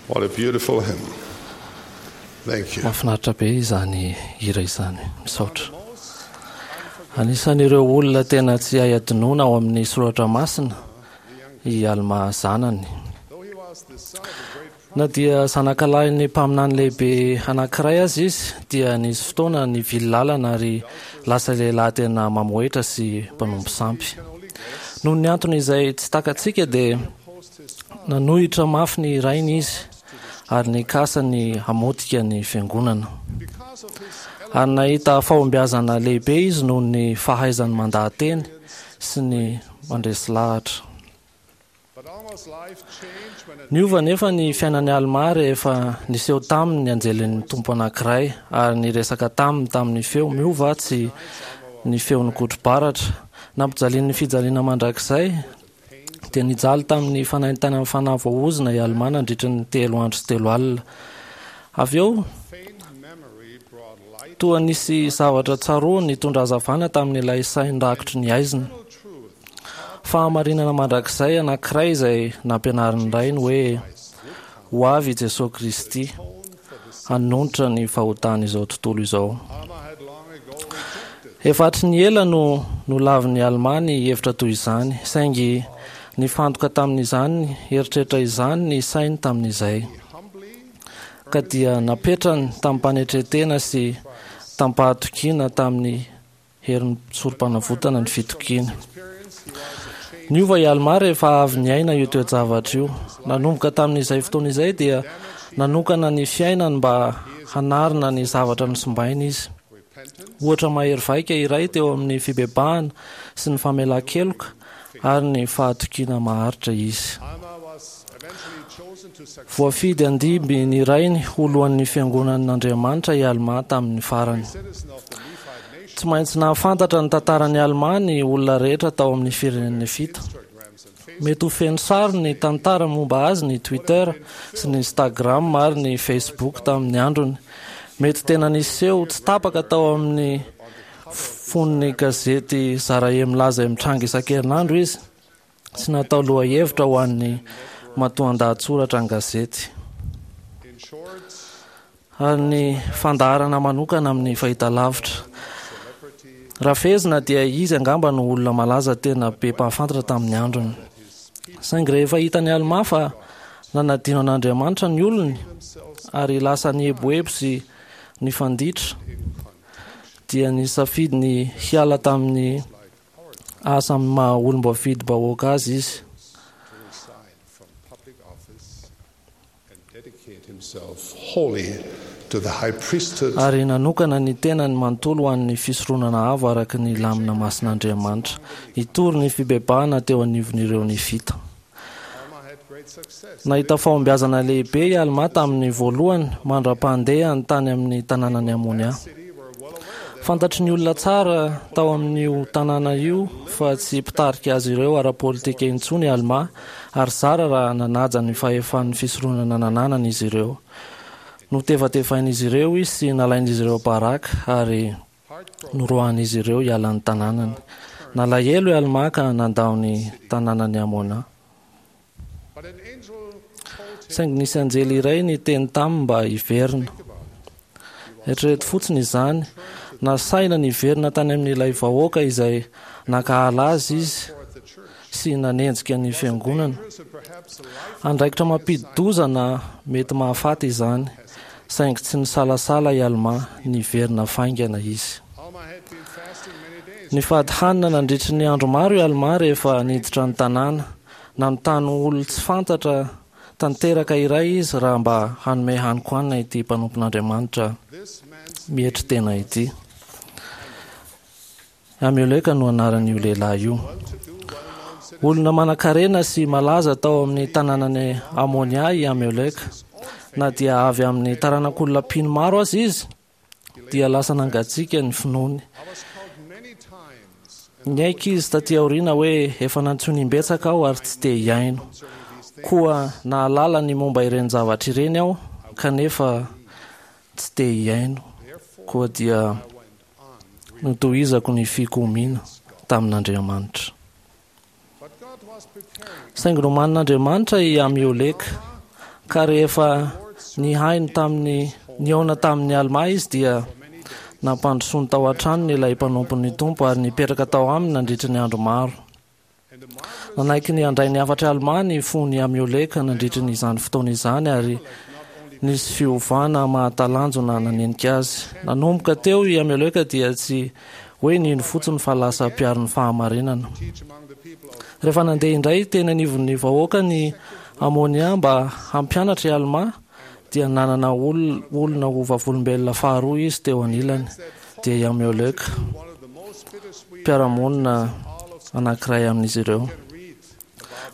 What a beautiful hymn. Thank you. Mahafinaritra be izany hira izany. Misaotra. Anisan'ireo olona tena tsy hay adinoina ao amin'ny soratra masina i Alma zanany. Na dia zanakalahin'ny mpaminany lehibe anankiray aza izy dia nisy fotoana nivily lalana ary lasa lehilahy tena mamohehitra sy mpanompo sampy. Noho ny antony izay tsy takatsika dia nanohitra mafy ny rainy izy ary nikasa ny hamotika ny fiangonana. Ary nahita fahombiazana lehibe izy noho ny fahaizany mandaha-teny sy ny mandresy lahatra. Niova nefa ny fiainan'i Alma rehefa niseho taminy ny anjelin'ny Tompo anankiray ary niresaka taminy tamin'ny feo miova tsy ny feon'ny kotro-baratra. Nampijalian'ny fijaliana mandrakizay dia nijaly tamin'ny fanaintainan'ny fanahy voaozona i Alma nandritra ny telo andro sy telo alina. Avy eo toa nisy zavatra tsaroany nitondra hazavana tamin'ilay sainy rakotry ny aizina. Fahamarinana mandrakizay anankiray izay nampianarin'ny rainy hoe ho avy i Jesosy Kristy hanonitra ny fahotan'izao tontolo izao. Efa hatry ny ela no nolavin'i Alma ny hevitra toy izany, saingy nifantoka tamin'izany eritreritra izany ny sainy tamin'izay. Ka dia napetrany tamin'ny-panetretena sy tamin'ny-pahatokiana tamin'ny herin'ny sorom-panavotana ny fitokiana. Niova i Alma rehefa avy niaina io toe-javatra io. Nanomboka tamin'izay fotoana izay dia nanokana ny fiainany mba hanarina ny zavatra nosimbainy izy. Ohatra mahery vaika iray teo amin'ny fibebahana sy ny famelan-keloka ary ny fahatokiana maharitra izy. Voafidy handimby ny rainy ho lohan'ny fiangonan'Andriamanitra i Alma tamin'ny farany. Tsy maintsy nahafantatra ny tantaran'i Alma ny olona rehetra tao amin'ny firenen'ny Nefita. Mety ho feno sary ny tantara momba azy ny Twitter sy ny Instagram ary ny Facebook tamin'ny androny. Mety tena niseho tsy tapaka tao amin'ny fon'ny gazety Zarahe milaza mitranga isan-kerinandro izy sy natao lohahevitra ho an'ny matoan-dahatsoratra an-gazety. Ary ny fandaharana manokana amin'ny fahitalavitra. Raha fehezina dia izy angamba no olona malaza tena be mpahafantatra tamin'ny androny. Saingy rehefa hitan'i Alma fa nanadino an'Andriamanitra ny olony ary lasa nieboebo sy nifanditra dia nisafidy ny hiala tamin'ny asa amin'ny maha olom-boafidim-bahoaka azy izy. Ary nanokana ny tenany manontolo ho an'ny fisoronana avo araka ny lamina masin'Andriamanitra, hitory ny fibebahana teo anivon'ireo Nefita. Nahita fahombiazana lehibe i Alma tamin'ny voalohany mandra-pandehany tany amin'ny tanànan'i Amonia. Fantatry ny olona tsara tao amin'io tanàna io fa tsy mpitarika azy ireo ara-politika intsony i Alma ary zara raha nanaja ny fahefan'ny fisoronana nananany izy ireo. Notevatevain'izy ireo izy sy nalain'izy ireo baraka ary noroahan'izy ireo hiala ny tanànany. Nalahelo i Alma ka nandao ny tanànan'i Amona. Saingy nisy anjely iray niteny taminy mba hiverina. Eritrereto fotsiny izany, nasaina niverina tany amin'ilay vahoaka izay nankahala azy izy sy nanenjika ny fiangonana. Andraikitra mampidi-doza na mety mahafaty izany, saingy tsy nisalasala i Alma niverina faingana izy. Nifady hanina nandritry ny andro maro i Alma rehefa niditra ny tanàna. Nanontany olona tsy fantatra tanteraka iray izy raha mba hanome hanin-kohanina ity mpanompon'Andriamanitra mietry tena ity. Amioleka no anaran'io lehilahy io. Olona manan-karena sy malaza tao amin'ny tanànan'i Amonia i Amioleka. Na dia avy amin'ny taranak'olona mpino maro aza izy, dia lasa nangatsiaka ny finoany. Niaiky izy taty aoriana hoe efa nantsoiny imbetsaka aho ary tsy te hihaino. Koa nahalala ny momba ireny zavatra ireny aho kanefa tsy te hihaino. Koa dia notohizako ny fikomiana tamin'Andriamanitra. Saingy nomanin'Andriamanitra i Amioleka. Ka rehefa nihaino tamin'ny nihaona tamin'ny Almà izy dia nampandrosoany tao an-tranony ilay mpanompon'ny Tompo ary nipetraka tao aminy nandritra ny andro maro. Nanaiky ny handray ny hafatr'i Almà ny fon'i Amioleka nandritra ny izany fotoana izany ary nisy fiovana mahatalanjona nanenika azy. Nanomboka teo i Amioleka dia tsy hoe nino fotsiny fa lasa mpiaro ny fahamarinana. Rehefa nandeha indray teny anivon'ny vahoaka ny Amônia mba hampianatra i Almà dia nanana olona ho vavolombelona faharoa izy teo anilany, dia i Amioleka, mpiara-monina anankiray amin'izy ireo.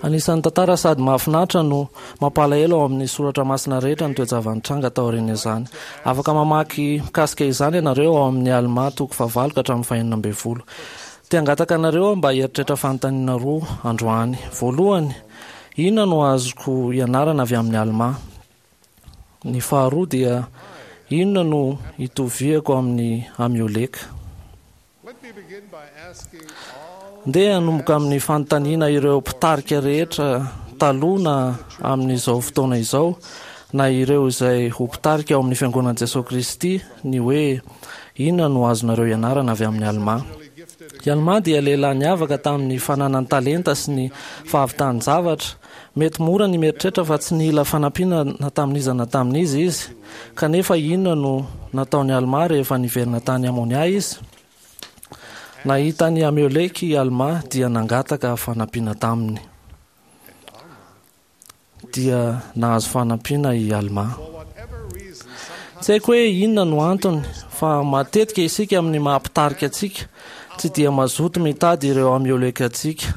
Anisan'ny tantara sady mahafinaritra no mampalahelo ao amin'ny soratra masina rehetra ny toe-java-nitranga taorian'izany. Afaka mamaky mikasika izany ianareo ao amin'ny Almà toko fahavalo ka hatramin'ny fahenina ambin'ny folo. Te hangataka anareo aho mba hieritreritra fanontaniana roa androany. Voalohany, inona no azoko ianarana avy amin'ny Almà? Ny faharoa dia, inona no itoviako amin'ny Amioleka? Ndeha hanomboka amin'ny fanontaniana ireo mpitarika rehetra taloha na amin'izao fotoana izao na ireo izay ho mpitarika ao amin'ny Fiangonan'i Jesoa Kristy ny hoe inona no azonareo ianarana avy amin'ny Almà. I Almà dia lehilahy niavaka tamin'ny fananany talenta sy ny fahavitan-javatra. Mety mora ny mieritreritra fa tsy nila fanampiana na tamin'iza na tamin'iza izy. Kanefa inona no nataon'i Almà rehefa niverina tany Amônia izy? Nahita an'i Amioleka i Almà dia nangataka fanampiana taminy. Dia nahazo fanampiana i Almà. Tsy haiko hoe inona no antony fa matetika isika amin'ny maha mpitarika antsika tsy dia mazoto mitady ireo Amioleka antsika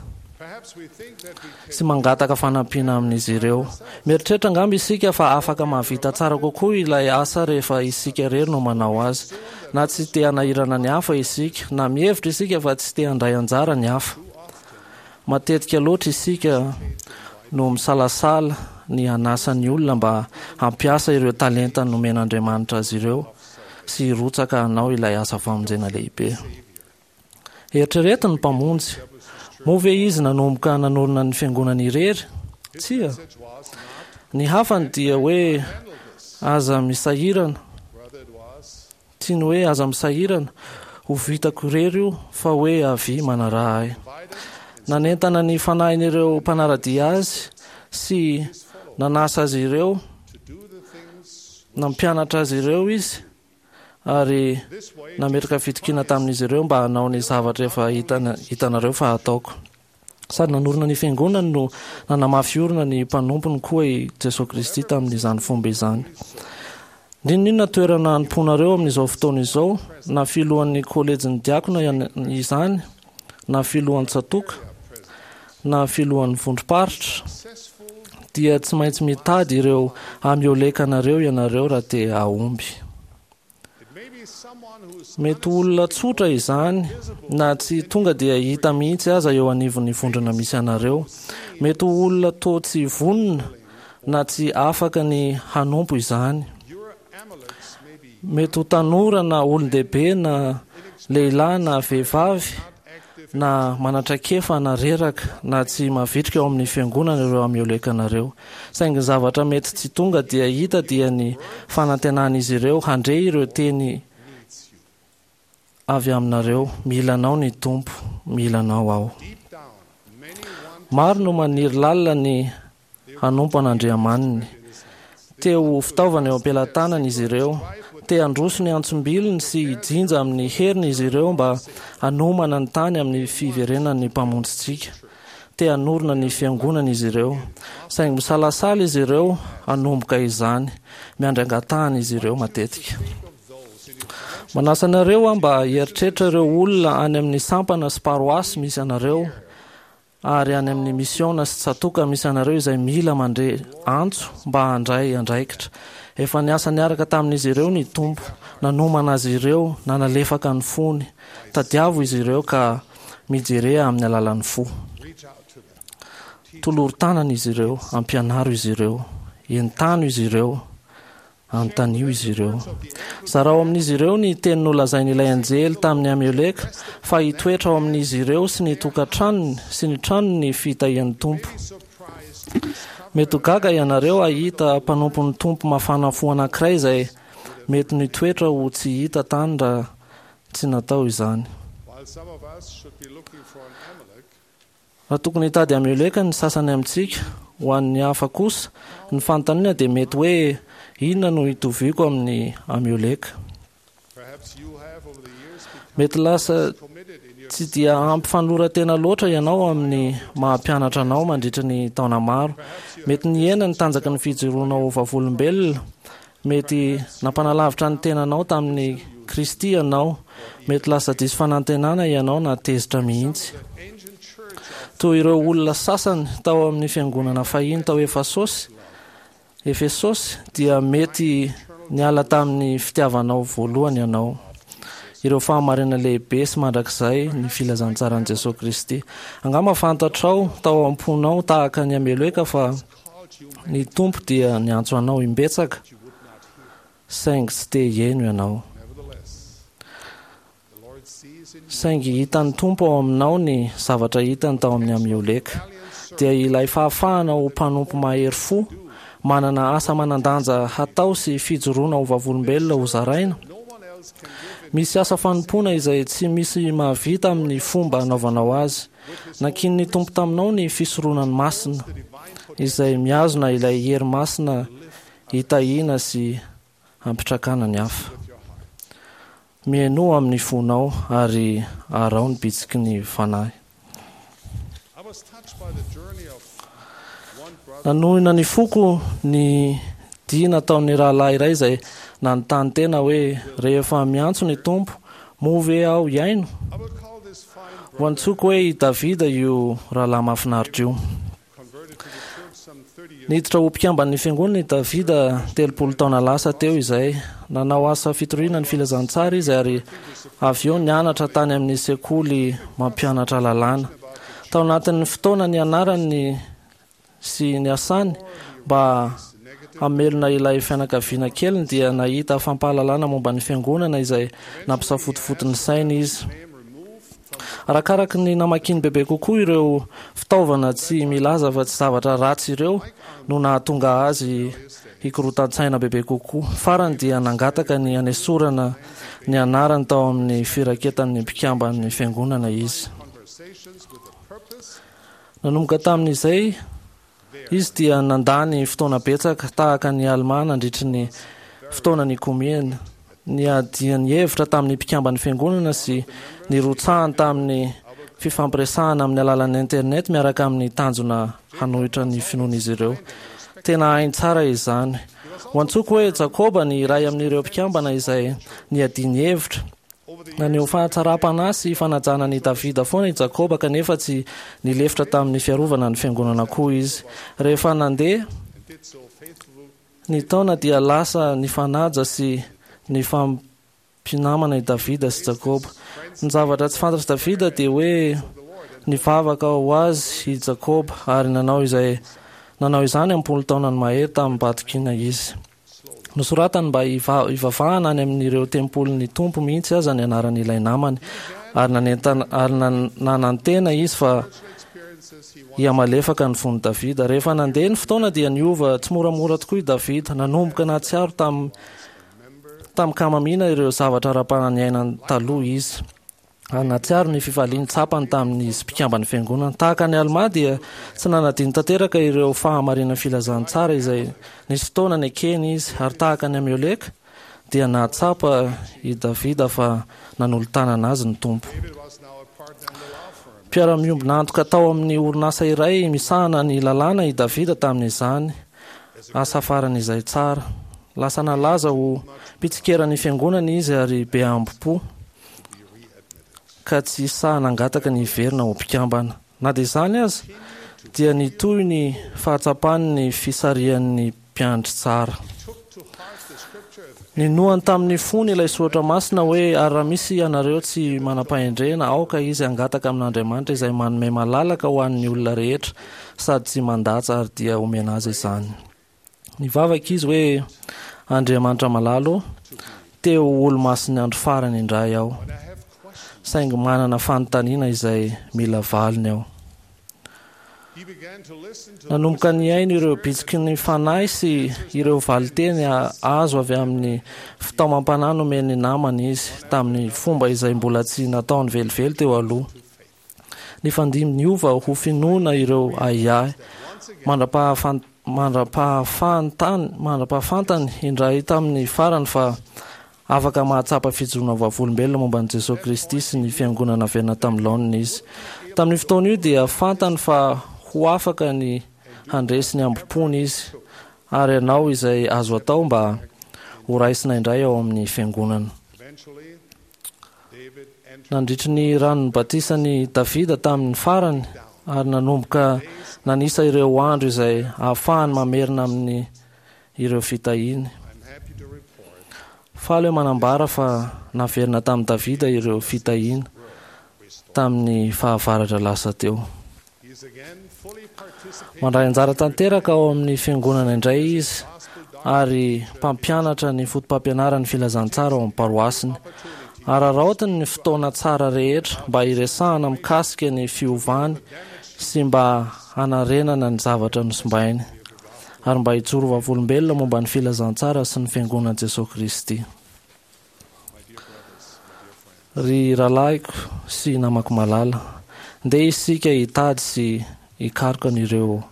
sy mangataka fanampiana amin'izy ireo. Mieritreritra angamba isika fa afaka mahavita tsara kokoa ilay asa rehefa isika irery no manao azy. Na tsy te hanahirana ny hafa isika, na mihevitra isika fa tsy te handray anjara ny hafa. Matetika loatra isika no misalasala ny hanasa ny olona mba hampiasa ireo talenta nomen'Andriamanitra azy ireo sy hirotsaka hanao ilay asa famonjena lehibe. Eritrereto ny Mpamonjy. Moa ve Izy nanomboka nanorina ny fiangonany irery? Tsia. Ny hafany dia hoe aza misahirana. Tsy ny hoe aza misahirana, ho vitako irery io, fa hoe avia manaraha ahy. Nanentana ny fanahin'ireo mpanara-dia Azy sy nanasa azy ireo, nampianatra azy ireo Izy ary nametraka fitokiana tamin'izy ireo mba hanao ny zavatra efa hitanareo fa hataoko. Sady nanorina ny fiangonany no nanamafy orina ny mpanompony koa i Jesoa Kristy tamin'izany fomba izany. N'inon'inona toerana anompoanareo amin'izao fotoana izao, na filohan'ny kolejin'ny diakona izany, na filohan'ny tsatòka, na filohan'ny vondrom-paritra, dia tsy maintsy mitady ireo Amiolekanareo ianareo raha te hahomby. Mety ho olona tsotra izany, na tsy tonga dia hita mihitsy aza eo anivon'ny vondrona misy anareo. Mety ho olona toa tsy vonona na tsy afaka ny hanompo izany. Mety ho tanora na olon-dehibe na lehilahy na vehivavy na manan-traikefa na reraka na tsy mavitrika ao amin'ny fiangonana ireo Amiolekanareo. Saingy ny zavatra mety tsy tonga dia hita dia ny fanantenan'izy ireo handre ireo teny avy aminareo, Mila anao ny Tompo, mila anao aho. Maro no maniry lalina ny hanompo an'Andriamaniny. Te ho fitaovana eo am-pelatanany izy ireo. Te handroso ny antsom-bilony sy hijinja amin'ny heriny izy ireo mba hanomana ny tany amin'ny fiverenan'ny Mpamonjintsika. Te hanorina ny fiangonana izy ireo. Saingy misalasala izy ireo hanomboka izany. Miandry angatahana izy ireo matetika. Manasa anareo aho mba hieritreritra ireo olona any amin'ny sampana sy paroasy misy anareo ary any amin'ny misiona sy tsatòka misy anareo izay mila mandre antso mba handray andraikitra. Efa niasa niaraka tamin'izy ireo ny Tompo, nanomana azy ireo, nanalefaka ny fony. Tadiavo izy ireo ka mijerea amin'ny alalan'ny fo. Tolory tanana izy ireo, ampianaro izy ireo, entano izy ireo. Anontanio izy ireo. Zarao amin'izy ireo ny teny nolazain'ilay anjely tamin'i Amioleka fa hitoetra ao amin'izy ireo sy ny tokantranony sy ny tranony ny fitahian'ny Tompo. Mety ho gaga ianareo hahita mpanompon'ny Tompo mafana fo anankiray izay mety nitoetra ho tsy hita tany raha tsy natao izany. Raha tokony hitady Amioleka ny sasany amintsika, ho an'ny hafa kosa, ny fanontaniana dia mety hoe inona no hitoviako amin'ny Amioleka. Mety lasa tsy dia ampy fanoloran-tena loatra ianao amin'ny maha-mpianatra anao mandritra ny taona maro. Mety nihena ny tanjaky ny fijoroanao vavolombelona. Mety nampanalavitra ny tenanao tamin'ny Kristy ianao. Mety lasa diso fanantenana ianao na tezitra mihitsy. Toy ireo olona sasany tao amin'ny fiangonana fahiny tao Efesosy, Efesosy dia mety niala tamin'ny fitiavanao voalohany ianao. Ireo fahamarinana lehibe sy mandrakizay ny filazantsaran'i Jesosy Kristy. Angamba fantatrao tao am-ponao tahaka ny Amioleka fa ny Tompo dia niantso anao imbetsaka, saingy tsy te hihaino ianao. Saingy hitan'ny Tompo ao aminao ny zavatra hitany tao amin'ny Amioleka, dia ilay fahafahana ho mpanompo mahery fo, manana asa manan-danja hatao sy fijoroana ho vavolombelona ho zaraina. Misy asa fanompoana izay tsy misy mahavita amin'ny fomba anaovanao azy. Nankinin'ny Tompo taminao ny fisoronany masina, izay mihazona ilay hery masina hitahiana sy hampitrakana ny hafa. Mihainoa amin'ny fonao ary araho ny bitsiky ny fanahy. Nanohina ny foko ny dia nataon'ny rahalahy iray izay nanontany tena hoe rehefa miantso ny Tompo, moa ve aho hihaino? Ho antsoko hoe i Davida io rahalahy mahafinaritra io. Niditra ho mpikamban'ny fiangonana i Davida telopolo taona lasa teo izay. Nanao asa fitoriana ny filazantsara izy ary avy eo nianatra tany amin'ny sekoly mampianatra lalàna. Tao anatin'ny fotoana nianarany sy niasany mba hamelona ilay fianakaviana keliny dia nahita fampahalalana momba ny fiangonana izay nampisafotofoto ny sainy izy. Arakaraky ny namakiny bebe kokoa ireo fitaovana tsy milaza fa tsy zavatra ratsy ireo no nahatonga azy hikorotan-tsaina bebe kokoa. Farany dia nangataka ny hanesorana ny anarany tao amin'ny firaketan'ny mpikamban'ny fiangonana izy. Nanomboka tamin'izay izy dia nandany fotoana betsaka tahaka ny Almà nandritry ny fotoana nikomiany. Niadiany hevitra tamin'ny mpikamban'ny fiangonana sy nirotsahany tamin'ny fifampiresahana amin'ny alalan'ny internet miaraka amin'ny tanjona hanohitra ny finoan'izy ireo. Tena hainy tsara izany. Ho antsoko hoe Jakoba ny iray amin'ireo mpikambana izay niadiany hevitra. Naneho fahatsaram-panahy sy fanajana an'i Davida foana i Jakoba, kanefa tsy nilefitra tamin'ny fiarovana ny fiangonana koa izy. Rehefa nandeha ny taona dia lasa nifanaja sy nifampinamana i Davida sy Jakoba. Ny zavatra tsy fantatr'i Davida dia hoe nivavaka ho azy i Jakoba ary nanao izay nanao izany am-polo taonany mahery tamim-pahatokiana izy. Nosoratany mba hivavahana any amin'ireo tempolin'ny Tompo mihitsy aza ny anaran'ilay namany, ary nanentana ary nanantena izy fa hihamalefaka ny fon'i Davida. Rehefa nandeha ny fotoana dia niova tsy moramora tokoa i Davida. Nanomboka nahatsiaro tam tamin-kamamiana ireo zavatra ara-panahy niainany taloha izy. Ary nahatsiaro ny fifaliany tsapany tamin'izy mpikamban'ny fiangonana. Tahaka an'i Almà dia tsy nanadino tanteraka ireo fahamarinan'ny filazantsara izay nisy fotoana nekeny izy. Ary tahaka an'i Amioleka dia nahatsapa i Davida fa nanolo-tanana azy ny Tompo. Mpiara-miombona antoka tao amin'ny orinasa iray misahana ny lalàna i Davida tamin'izany asa farany izay tsara. Lasa nalaza ho mpitsikera ny fiangonana izy ary be ambo-po, ka tsy sahy nangataka ny hiverina ho mpikambana. Na dia izany aza, dia nitohy ny fahatsapany ny fisarihan'ny mpiandry tsara. Ninoany tamin'ny fony ilay soratra masina hoe, ary raha misy ianareo tsy manam-pahendrena, aoka izy hangataka amin'Andriamanitra izay manome malalaka ho an'ny olona rehetra sady tsy mandatsa, ary dia homena azy izany. Nivavaka izy hoe, Andriamanitra malala ô, te ho olo-masin'ny andro farany indray aho, saingy manana fanontaniana izay mila valiny aho. Nanomboka nihaino ireo bitsiky ny fanahy sy ireo valinteny azo avy amin'ny fitaomam-panahy nomen'ny namany izy tamin'ny fomba izay mbola tsy nataony velively teo aloha. Nifandimby niova ho finoana ireo ahiahy mandra-pahafantany mandra-pahafantany indray tamin'ny farany fa afaka mahatsapa fijoroana vavolombelona momba an'i Jesosy Kristy sy ny fiangonana naverina tamin'ny laoniny izy. Tamin'io fotoana io dia fantany fa ho afaka ny handresy ny hambom-pony izy ary hanao izay azo atao mba ho raisina indray ao amin'ny fiangonana. Nandritry ny ranon'ny batisan'i Davida tamin'ny farany ary nanomboka nanisa ireo andro izay ahafahany mamerina amin'ny ireo fitahiany. Faly aho manambara fa naverina tamin'i Davida ireo fitahiana tamin'ny fahavaratra lasa teo. Mandray anjara tanteraka ao amin'ny fiangonana indray izy ary mpampianatra ny foto-pampianaran'ny filazantsara ao amin'ny paroasiny. Araraotiny ny fotoana tsara rehetra mba hiresahana mikasika ny fiovany sy mba hanarenana ny zavatra nosimbainy ary mba hijoro vavolombelona momba ny filazantsara sy ny fiangonan'i Jesosy Kristy. Ry rahalahiko sy namako malala, ndeha isika hitady sy hikaroka an'ireo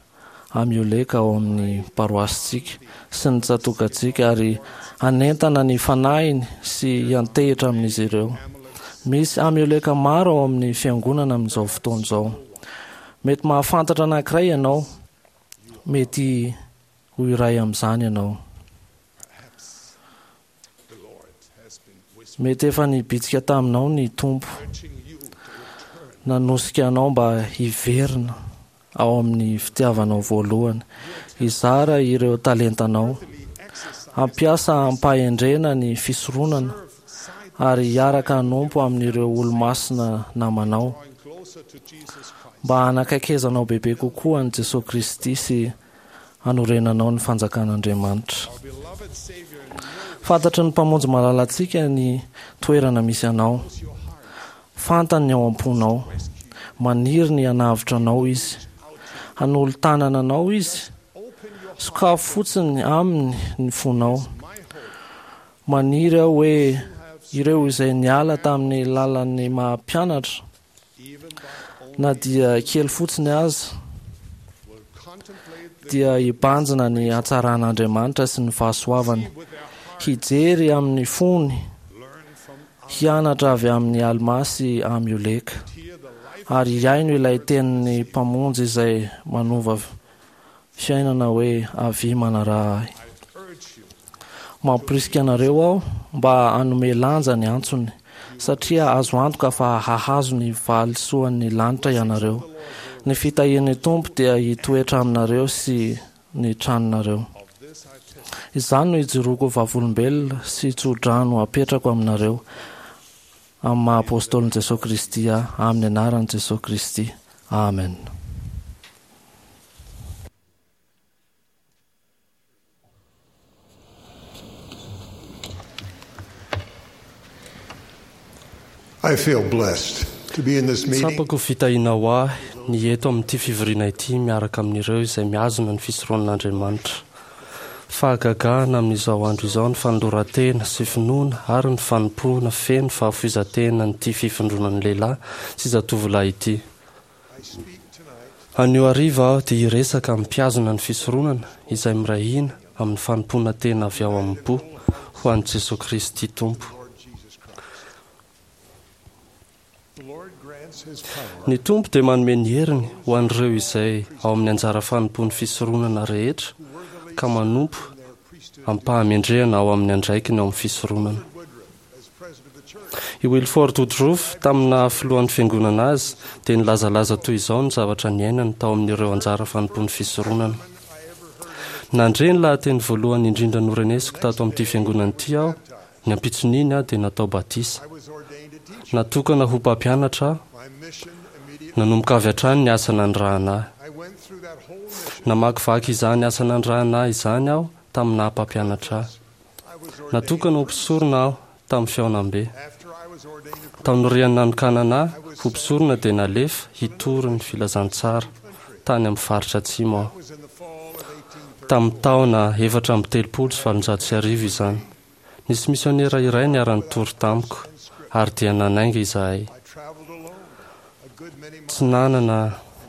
Amioleka ao amin'ny paroasintsika sy ny tsatòkantsika ary hanentana ny fanahiny sy hiantehitra amin'izy ireo. Misy Amioleka maro ao amin'ny fiangonana amin'izao fotoana izao. Mety mahafantatra anankiray ianao, mety ho iray amin'izany ianao. Mety efa nibitsika taminao ny Tompo, nanosika anao mba hiverina ao amin'ny fitiavanao voalohany, hizara ireo talentanao, hampiasa ampahendrena ny fisoronana ary hiaraka hanompo amin'ireo olo-masina namanao mba hanakaikezanao bebe kokoa an'i Jesosy Kristy sy hanorenanao ny fanjakan'Andriamanitra. Fantatry ny Mpamonjy malalantsika ny toerana misy anao. Fantany ny ao am-ponao. Maniry ny hanavotra anao izy. Hanolo-tanana anao izy. Sokafo fotsiny aminy ny fonao. Maniry aho hoe ireo izay niala tamin'ny lalan'ny maha-mpianatra, na dia kely fotsiny aza, dia hibanjina ny hatsaran'Andriamanitra sy ny fahasoavany, hijery amin'ny fony, hianatra avy amin'ny Almà sy Amioleka, ary hihaino ilay tenin'ny Mpamonjy izay manova fiainana hoe avia manaraha ahy. Mamporisika anareo aho mba hanome lanja ny antsony, satria azo antoka fa hahazo ny valisoan'ny lanitra ianareo. Ny fitahian'ny Tompo dia hitoetra aminareo sy ny tranonareo. Izany no ijoroako vavolombelona sy tso-drano apetrako aminareo amin'ny maha apôstôlin'i Jesosy Kristy ahy, amin'ny anaran'i Jesosy Kristy. Amen. I feel blessed to be in this meeting. Tsapako fitahiana ho ahy ny eto amin'ity fivoriana ity miaraka amin'ireo izay mihazona ny fisoronan'Andriamanitra. Fahagagana amin'izao andro izao ny fanoloran-tena sy finoana ary ny fanompoana feno fahafoizan-tena an'ity fifindronan'ny lehilahy sy zatovolahy ity. Anio hariva aho dia hiresaka amin'ny mpihazona ny fisoronana izay miray hina amin'ny fanompoana tena avy ao am-po ho an'i Jesosy Kristy Tompo. Ny Tompo dia manome ny heriny ho an'ireo izay ao amin'ny anjara fanompoan'ny fisoronana rehetra ka manompo am-pahamendrehana ao amin'ny andraikiny ao amin'ny fisoronana. I Wilford Woodruff, tamin'ny naha filohan'ny fiangonana azy, dia nilazalaza toy izao ny zavatra niainany tao amin'ireo anjara fanompoan'ny fisoronana. Nandre ny lahateny voalohany indrindra norenesiko tato amin'ity fiangonana ity aho, ny ampitson'iny aho dia natao batisa. Natokana ho mpampianatra aho, nanomboka avy hatrany ny asa nanirahana ahy. Namakivaky izany asa nanirahana ahy izany aho tamin'ny naha mpampianatra ahy. Natokana ho mpisorona aho tamin'ny fihaonambe. Taorian'ny nanokanana ahy ho mpisorona dia nalefa hitory ny filazantsara tany amin'ny faritra atsimo aho. Tamin'ny taona efatra amby telopolo sy valonjato sy arivo izany. Nisy misionera iray niara-nitory tamiko ary dia nanainga izahay. Tsy nanana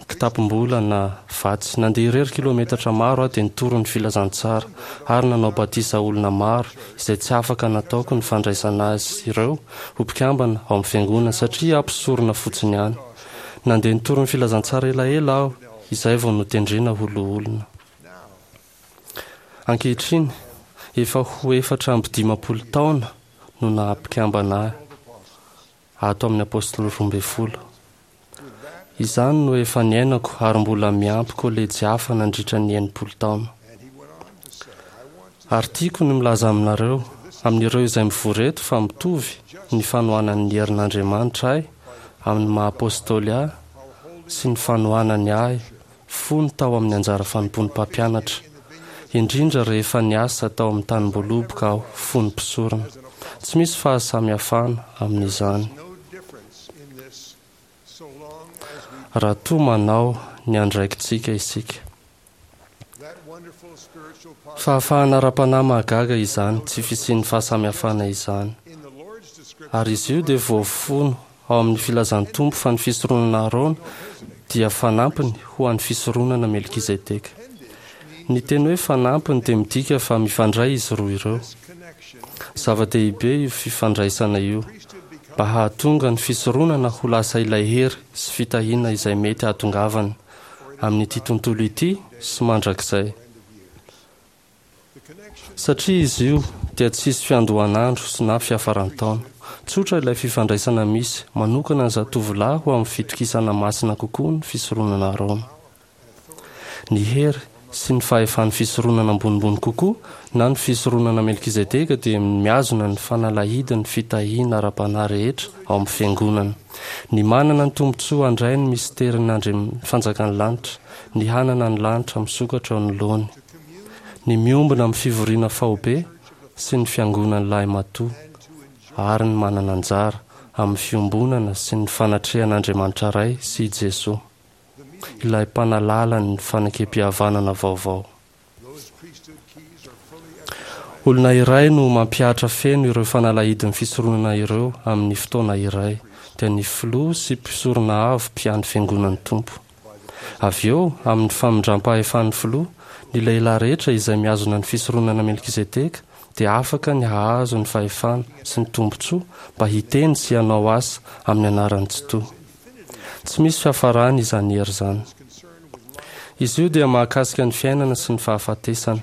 kitapom-bola na vatsy. Nandeha irery kilometatra maro aho dia nitory ny filazantsara ary nanao batisa olona maro izay tsy afaka nataoko ny fandraisana azy ireo ho mpikambana ao amin'ny fiangonana satria aho mpisorona fotsiny ihany. Nandeha nitory ny filazantsara elaela aho izay vao notendrena ho loholona. Ankehitriny, efa ho efatra amby dimampolo taona no naha-mpikambana ahy ato amin'ny apôstôly roa ambin'ny folo. Izany no efa niainako ary mbola miampy kolejy hafa nandritra ny enimpolo taona. Ary tiako ny milaza aminareo, amin'ireo izay mivory eto, fa mitovy ny fanohanan'ny herin'Andriamanitra ahy amin'ny maha-apôstôly ahy sy ny fanohanany ahy fony tao amin'ny anjara fanompoan'ny mpampianatra, indrindra rehefa niasa tao amin'ny tanim-boaloboka aho fony mpisorona. Tsy misy fahasamihafana amin'izany. Raha toa manao ny andraikitsika isika. Fahafahana ara-panahy mahagaga izany, tsy fisian'ny fahasamihafana izany. Ary izy io dia voafono ao amin'ny filazan'ny Tompo fa ny fisoronana Aharôna dia fanampiny ho an'ny fisoronana Melkizedeka. Ny teny hoe fanampiny dia midika fa mifandray izy roa ireo. Zava-dehibe io fifandraisana io mba hahatonga ny fisoronana ho lasa ilay hery sy fitahiana izay mety hahatongavany amin'ity tontolo ity sy mandrakizay. Satria izy io dia tsisy fiandohan'andro sy na fiafaran-taona. Tsotra ilay fifandraisana misy manokana ny zatovolahy ho amin'ny fitokisana masina kokoa ny fisoronana Aharôna. Ny hery sy ny fahefan'ny fisoronana ambonimbony kokoa na ny fisoronana Melkizedeka dia mihazona ny fanalahidin'ny fitahiana ara-panahy rehetra ao amin'ny fiangonana. Ny manana ny tombontsoa handray ny misterin'Andriamanitra fanjakan'ny lanitra, ny hanana ny lanitra misokatra eo anoloany, ny miombona amin'ny fivoriana faobe sy ny fiangonan'ny lahimatoa, ary ny manana anjara amin'ny fiombonana sy ny fanatrehan'Andriamanitra Ray sy i Jesoa, ilay mpanalala ny fanekempihavanana vaovao. Olona iray no mampihatra feno ireo fanalahidin'ny fisoronana ireo amin'ny fotoana iray, dia ny filoha sy mpisorona avo mpiandry fiangonan'ny Tompo. Avy eo, amin'ny famindram-pahefan'ny filoha, ny lehilahy rehetra izay mihazona ny fisoronana Melkizedeka dia afaka ny hahazo ny fahefana sy ny tombontsoa mba hiteny sy hanao asa amin'ny anaran'ny Tsitoha. Tsy misy fiafarany izany hery izany. Izy io dia mahakasika ny fiainana sy ny fahafatesana,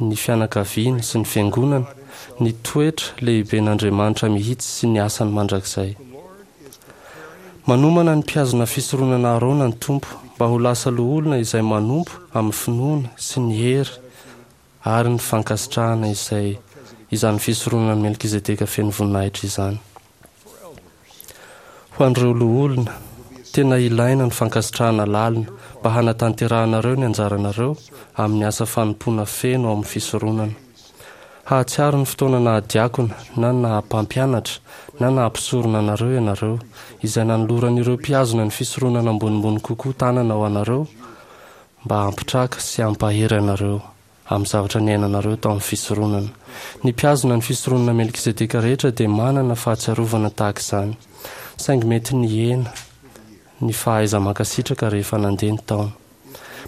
ny fianakaviana sy ny fiangonana, ny toetra lehiben'Andriamanitra mihitsy sy ny asany mandrakizay. Manomana ny mpihazona fisoronana Aharôna ny Tompo mba ho lasa loholona izay manompo amin'ny finoana sy ny hery ary ny fankasitrahana izay izany fisoronana Melkizedeka feno voninahitra izany. Ho an'ireo loholona, tena ilaina ny fankasitrahana lalina mba hanatanterahanareo ny anjaranareo amin'ny asa fanompoana feno ao amin'ny fisoronana. Hahatsiaro ny fotoana nahadiakona na naha-mpampianatra na naha-mpisorona anareo ianareo, izay nanoloran'ireo mpihazona ny fisoronana ambonimbony kokoa tanana ho anareo mba hampitraka sy hampahery anareo amin'ny zavatra niainanareo tao amin'ny fisoronana. Ny mpihazona ny fisoronana Melkizedeka rehetra dia manana fahatsiarovana tahaka izany, saingy mety nihena ny fahaiza-mankasitraka rehefa nandeha ny taona.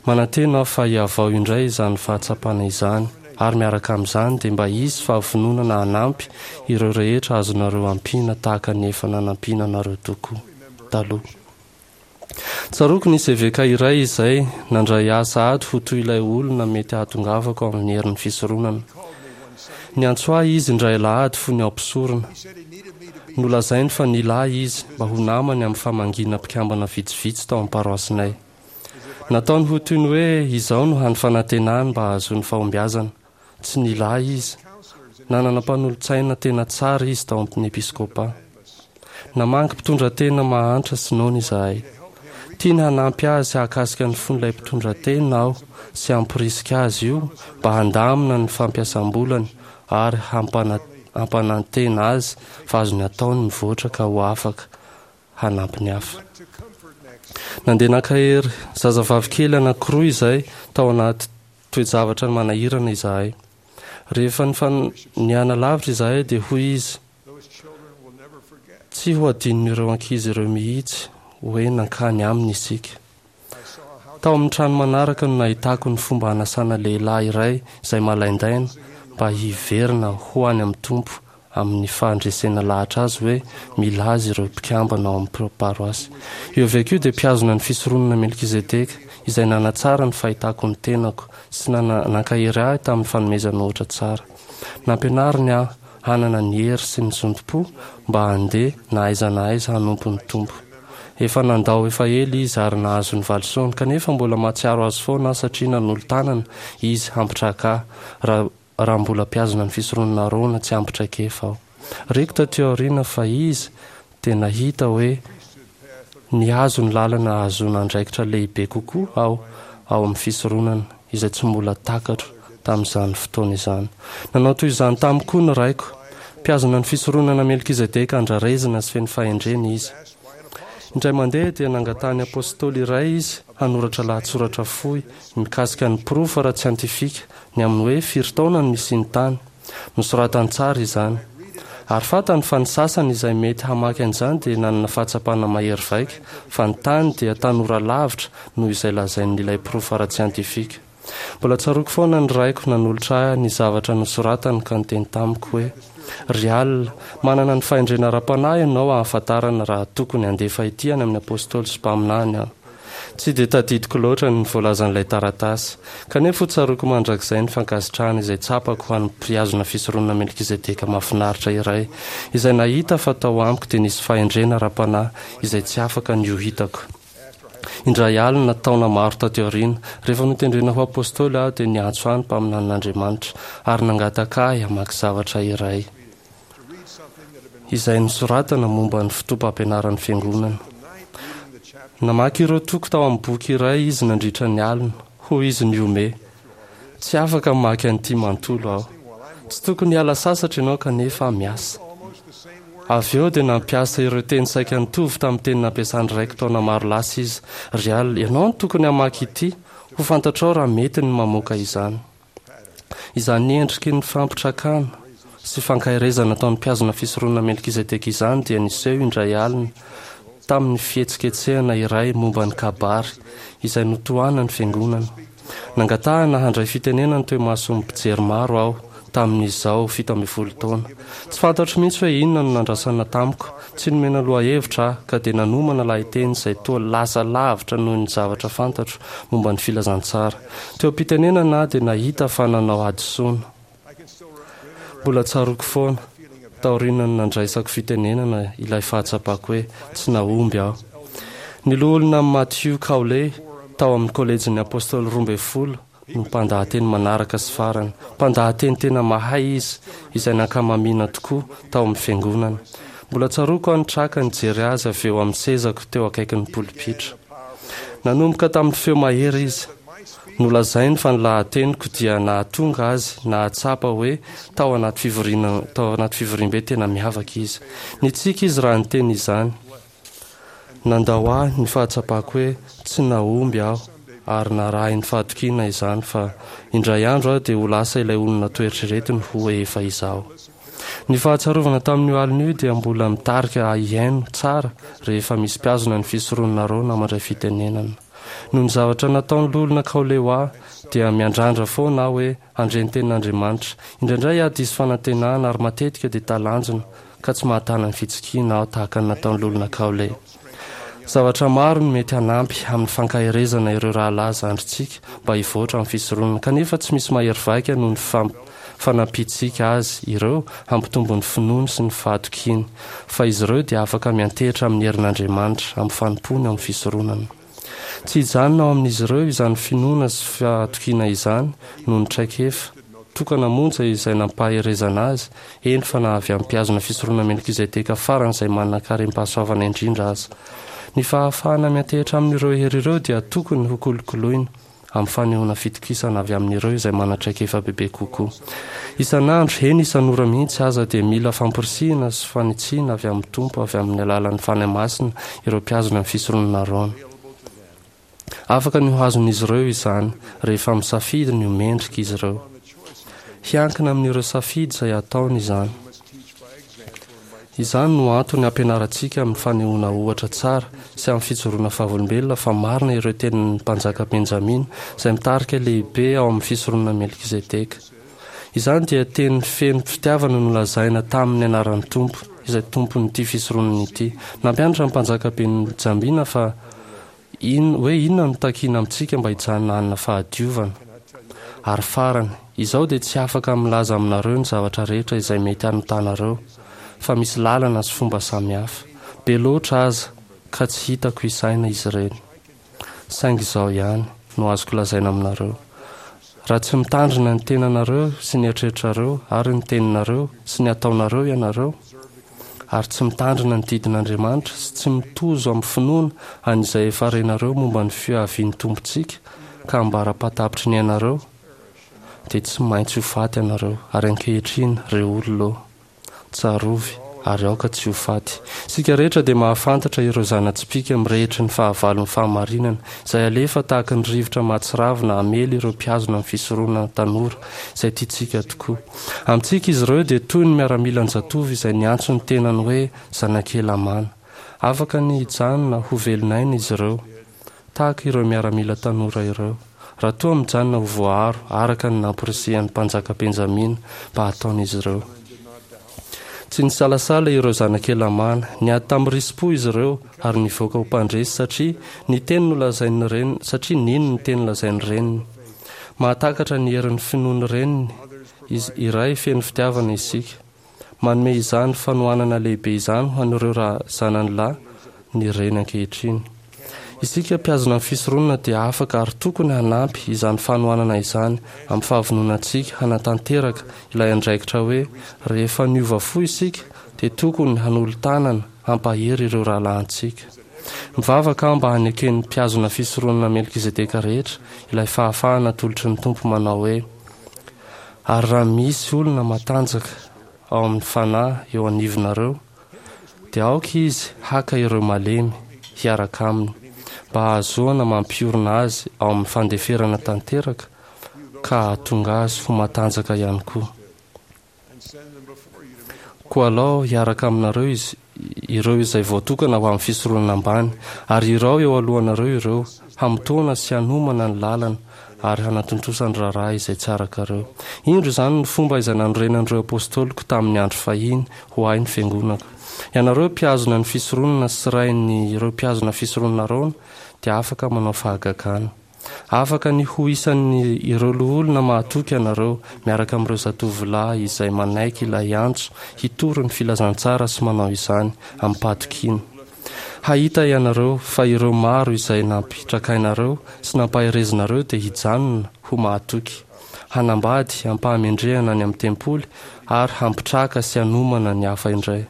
Manantena aho fa hihavao indray izany fahatsapana izany, ary miaraka amin'izany dia mba hisy fahavononana hanampy ireo rehetra azonareo ampiana tahaka ny efa nanampiana anareo tokoa taloha. Tsaroako nisy eveka iray izay nandray ahy sahady ho toy ilay olona mety hahatongavako amin'ny herin'ny fisoronana. Niantso ahy izy indray alahady fony aho mpisorona. Nolazainy fa nila ahy izy mba ho namany amin'ny famangiana mpikambana vitsivitsy tao amin'ny paroasinay. Nataony ho toy ny hoe izao no hany fanantenany mba hahazoany fahombiazana. Tsy nila ahy izy. Nanana mpanolotsaina tena tsara izy tao amin'ny episkôpà. Namangy mpitondra tena mahantra sy noana izahay. Tiany hanampy azy hahakasika ny fon'ilay mpitondra tena aho sy hamporisika azy io mba handamina ny fampiasam-bolany ary hampanantena azy fa azony atao ny mivoatra ka ho afaka hanampy ny hafa. Nandeha nankahery zazavavy kely anankiroa izay tao anaty toe-javatra manahirana izahay. Rehefa nianalavitra izahay dia hoy izy: "Tsy ho adinon'ireo ankizy ireo mihitsy hoe nankany aminy isika." Tao amin'ny trano manaraka no nahitako ny fomba hanasana lehilahy iray izay malaindaina mba hiverina ho any amin'ny Tompo amin'ny fahandresena lahatra azy hoe mila azy ireo mpikambana ao amin'ny paroasy. Io eveka io dia mpihazona ny fisoronana Melkizedeka izay nanatsara ny fahitako ny tenako sy nankahery ahy tamin'ny fanomezana ohatra tsara. Nampianariny aho hanana ny hery sy ny zotom-po mba handeha na aiza na aiza hanompo ny Tompo. Efa nandao efa ela izy ary nahazo ny valisoany, kanefa mbola mahatsiaro azy foana aho satria nanolo-tanana izy hampitraka ahy raha raha mbola mpihazona ny fisoronana Arona tsy ampy traikefa aho. Reko taty aoriana fa izy dia nahita hoe nihazo ny lalana ahazoana andraikitra lehibe kokoa aho ao amin'ny fisoronana izay tsy mbola takatro tamin'izany fotoana izany. Nanao toy izany tamiko koa ny raiko. Mpihazona ny fisoronana Melkizedeka andrarezina sy feno fahendrena izy. Indray mandeha dia nangatahany apôstôly iray izy hanoratra lahatsoratra fohy mikasika ny porofo ara-tsiantifika ny amin'ny hoe firy taona no misy ny tany. Nosoratany tsara izany. Ary fantany fa ny sasany izay mety hamaky an'izany dia nanana fahatsapana mahery vaika fa ny tany dia tanora lavitra noho izay lazain'ilay porofo ara-tsiantifika. Mbola tsaroako foana ny raiko nanolotra ahy ny zavatra nosoratany ka niteny tamiko hoe: "Ry Al, manana ny fahendrena ara-panahy ianao ahafantarana raha tokony handefa ity any amin'ny apôstôly sy mpaminany aho." Tsy dia tadidiko loatra ny voalazan'ilay taratasy, kanefa ho tsaroako mandrakizay ny fankasitrahana izay tsapako ho an'ny mpihazona fisoronana Melkizedeka mahafinaritra iray, izay nahita fa tao amiko dia nisy fahendrena ara-panahy izay tsy afaka ny ho hitako. Indray alina, taona maro taty aoriana, rehefa notendrena ho apôstôly aho, dia niantso ahy ny mpaminanin'Andriamanitra ary nangataka ahy hamaky zavatra iray izay nosoratana momba ny fotoam-pampianaran'ny fiangonana. Namaky ireo toko tao amin'ny boky iray izy nandritra ny alina. Hoy izy nihomehy: "Tsy afaka mamaky an'ity manontolo aho. Tsy tokony hiala sasatra ianao kanefa miasa." Avy eo dia nampiasa ireo teny saika nitovy tamin'ny teny nampiasan'ny raiko taona maro lasa izy: "Ry Al, ianao no tokony hamaky ity, ho fantatrao raha mety ny mamoaka izany." Izany endriky ny fampitrakana sy fankaherezana nataon'ny mpihazona fisoronana Melkizedeka izany dia niseho indray alina tamin'ny fihetsiketsehana iray momba ny kabary izay notohanan'ny fiangonana. Nangatahana handray fitenenana teo imason'ny mpijery maro aho tamin'izaho fito ambin'ny folo taona. Tsy fantatro mihitsy hoe inona no nandrasana tamiko. Tsy nomena lohahevitra aho ka dia nanomana lahateny izay toa lasa lavitra noho ny zavatra fantatro momba ny filazantsara. Teo am-pitenenana aho dia nahita fa nanao hadisoana. Mbola tsaroako foana, taorian'ny nandraisako fitenenana, ilay fahatsapako hoe tsy nahomby aho. Ny loholona Matthew Cowley tao amin'ny kolejin'ny Apôstôly roa ambin'ny folo no mpandahateny manaraka sy farany. Mpandahateny tena mahay izy, izay nankamamiana tokoa tao amin'ny fiangonana. Mbola tsaroako aho nitraka nijery azy avy eo amin'ny sezako teo akaikin'ny polipitra. Nanomboka tamin'ny feo mahery izy. Nolazainy fa ny lahateniko dia nahatonga azy nahatsapa hoe tao anaty fivoriana tao anaty fivoriambe tena miavaka izy. Nitsiky izy raha niteny izany. Nandao ahy ny fahatsapako hoe tsy nahomby aho ary narahin'ny fahatokiana izany fa indray andro aho dia ho lasa ilay olona noeritreretiny ho efa izaho. Ny fahatsiarovana tamin'io alina io dia mbola mitarika ahy hihaino tsara rehefa misy mpihazona ny fisoronana Arona mandray fitenenana. Noho ny zavatra nataon'ny loholona Cowley ho ahy dia miandrandra foana aho hoe handre ny tenin'Andriamanitra. Indraindray aho diso fanantenana ary matetika dia talanjona ka tsy mahatana ny fitsikiana aho tahaka ny nataon'ny loholona Cowley. Zavatra maro no mety hanampy amin'ny fankaherezana ireo rahalahy zandrintsika mba hivoatra amin'ny fisoronana, kanefa tsy misy mahery vaika noho ny fanampiantsika azy ireo hampitombo ny finoany sy ny fahatokiany fa izy ireo dia afaka miantehitra amin'ny herin'Andriamanitra amin'ny fanompoany ao amin'ny fisoronana. Tsy hijanona ao amin'izy ireo izany finoana sy fahatokiana izany noho ny traikefa tokana monja izay nampaherezana azy, eny fa na avy amin'ny mpihazona fisoronana Melkizedeka faran'izay manan-karem-pahasoavana indrindra aza. Ny fahafahana miantehitra amin'ireo hery ireo dia tokony hokolokoloina amin'ny fanehoana fitokisana avy amin'ireo izay manan-traikefa bebe kokoa. Isan'andro, eny isan'ora mihitsy aza, dia mila famporisihina sy fanitsiana avy amin'ny Tompo avy amin'ny alalan'ny Fanahy Masina ireo mpihazona ny fisoronana Arona. Afaka ny ho azon'izy ireo izany rehefa misafidy ny ho mendrika izy ireo. Hiankina amin'ireo safidy izay ataony izany. Izany no antony ampianarantsika amin'ny fanehoana ohatra tsara sy amin'ny fijoroana vavolombelona fa marina ireo tenin'ny mpanjaka Benjamina izay mitarika lehibe ao amin'ny fisoronana Melkizedeka. Izany dia teny feno fitiavana nolazaina tamin'ny anaran'ny Tompo, izay tompon'ity fisoronana ity. Nampianatra ny mpanjaka Benjamina fa in, hoe inona no takiana amintsika mba hijanona hanana fahadiovana. Ary farany, izao dia tsy afaka milaza aminareo ny zavatra rehetra izay mety hanotanareo, fa misy lalana sy fomba samihafa. Be loatra aza ka tsy hitako isaina izy ireny. Saingy izao ihany no azoko lazaina aminareo. Raha tsy mitandrina ny tenanareo sy ny eritreritrareo ary ny teninareo sy ny ataonareo ianareo, ary tsy mitandrina ny didin'Andriamanitra sy tsy mitozo amin'ny finoana an'izay efa renareo momba ny fiavian'ny Tompontsika ka ambara-patapitry ny ainareo, dia tsy maintsy ho faty ianareo. Ary ankehitriny, ry olona ô, tsarovy ary aoka tsy ho faty. Isika rehetra dia mahafantatra ireo zana-tsipìka mirehitry ny fahavalon'ny fahamarinana, izay alefa tahaka ny rivotra mahatsiravina hamely ireo mpihazona ny fisoronana tanora, izay tiantsika tokoa. Amintsika izy ireo dia toy ny miaramilan-jatovo izay niantso ny tenany hoe zanak'i Helamàna. Afaka ny hijanona ho velon'aina izy ireo, tahaka ireo miaramila tanora ireo, raha toa mijanona ho voaaro araka ny namporisihan'ny mpanjaka Benjamina mba hataon'izy ireo. Tsy nisalasala ireo zanak'i Helamàna, niady tamin'ny risi-po izy ireo ary nivoaka ho mpandresy satria ny teny nolazain'ny reniny, satria nino ny teny nolazain'ny reniny. Mahatakatra ny herin'ny finoan'ny reniny izy iray feno fitiavana isika. Manome izany fanohanana lehibe izany ho an'ireo raha zanany lahy ny reny ankehitriny. Isika mpihazona ny fisoronana dia afaka ary tokony hanampy izany fanohanana izany amin'ny fahavononantsika hanatanteraka ilay andraikitra hoe rehefa niova fo isika dia tokony hanolo-tanana hampahery ireo rahalahintsika. Mivavaka aho mba haneken'ny mpihazona fisoronana Melkizedeka rehetra ilay fahafahana atolotry ny Tompo manao hoe: ary raha misy olona matanjaka ao amin'ny fanahy eo anivonareo, dia aoka izy haka ireo malemy hiaraka aminy mba hahazoana mampiorina azy ao amin'ny fandeferana tanteraka ka hahatonga azy ho matanjaka ihany koa. Koa alao hiaraka aminareo izy ireo izay voatokana ho amin'ny fisoronana ambany, ary irao eo alohanareo ireo hamotoana sy hanomana ny lalana ary hanatontosa ny raharaha izay tsy arakareo. Indro izany ny fomba izay nanorenan'ireo apôstôliko tamin'ny andro fahiny ho ahy ny fiangonako. Ianareo mpihazona ny fisoronana sy rain'ireo mpihazona fisoronana Arona dia afaka manao fahagagana. Afaka ny ho isan'ny ireo loholona mahatoky ianareo miaraka amin'ireo zatovolahy izay manaiky ilay antso hitory ny filazantsara sy manao izany amim-pahatokiana. Hahita ianareo fa ireo maro izay nampitrakainareo sy nampaherezinareo dia hijanona ho mahatoky, hanambady am-pahamendrehana any amin'ny tempoly ary hampitraka sy hanomana ny hafa indray.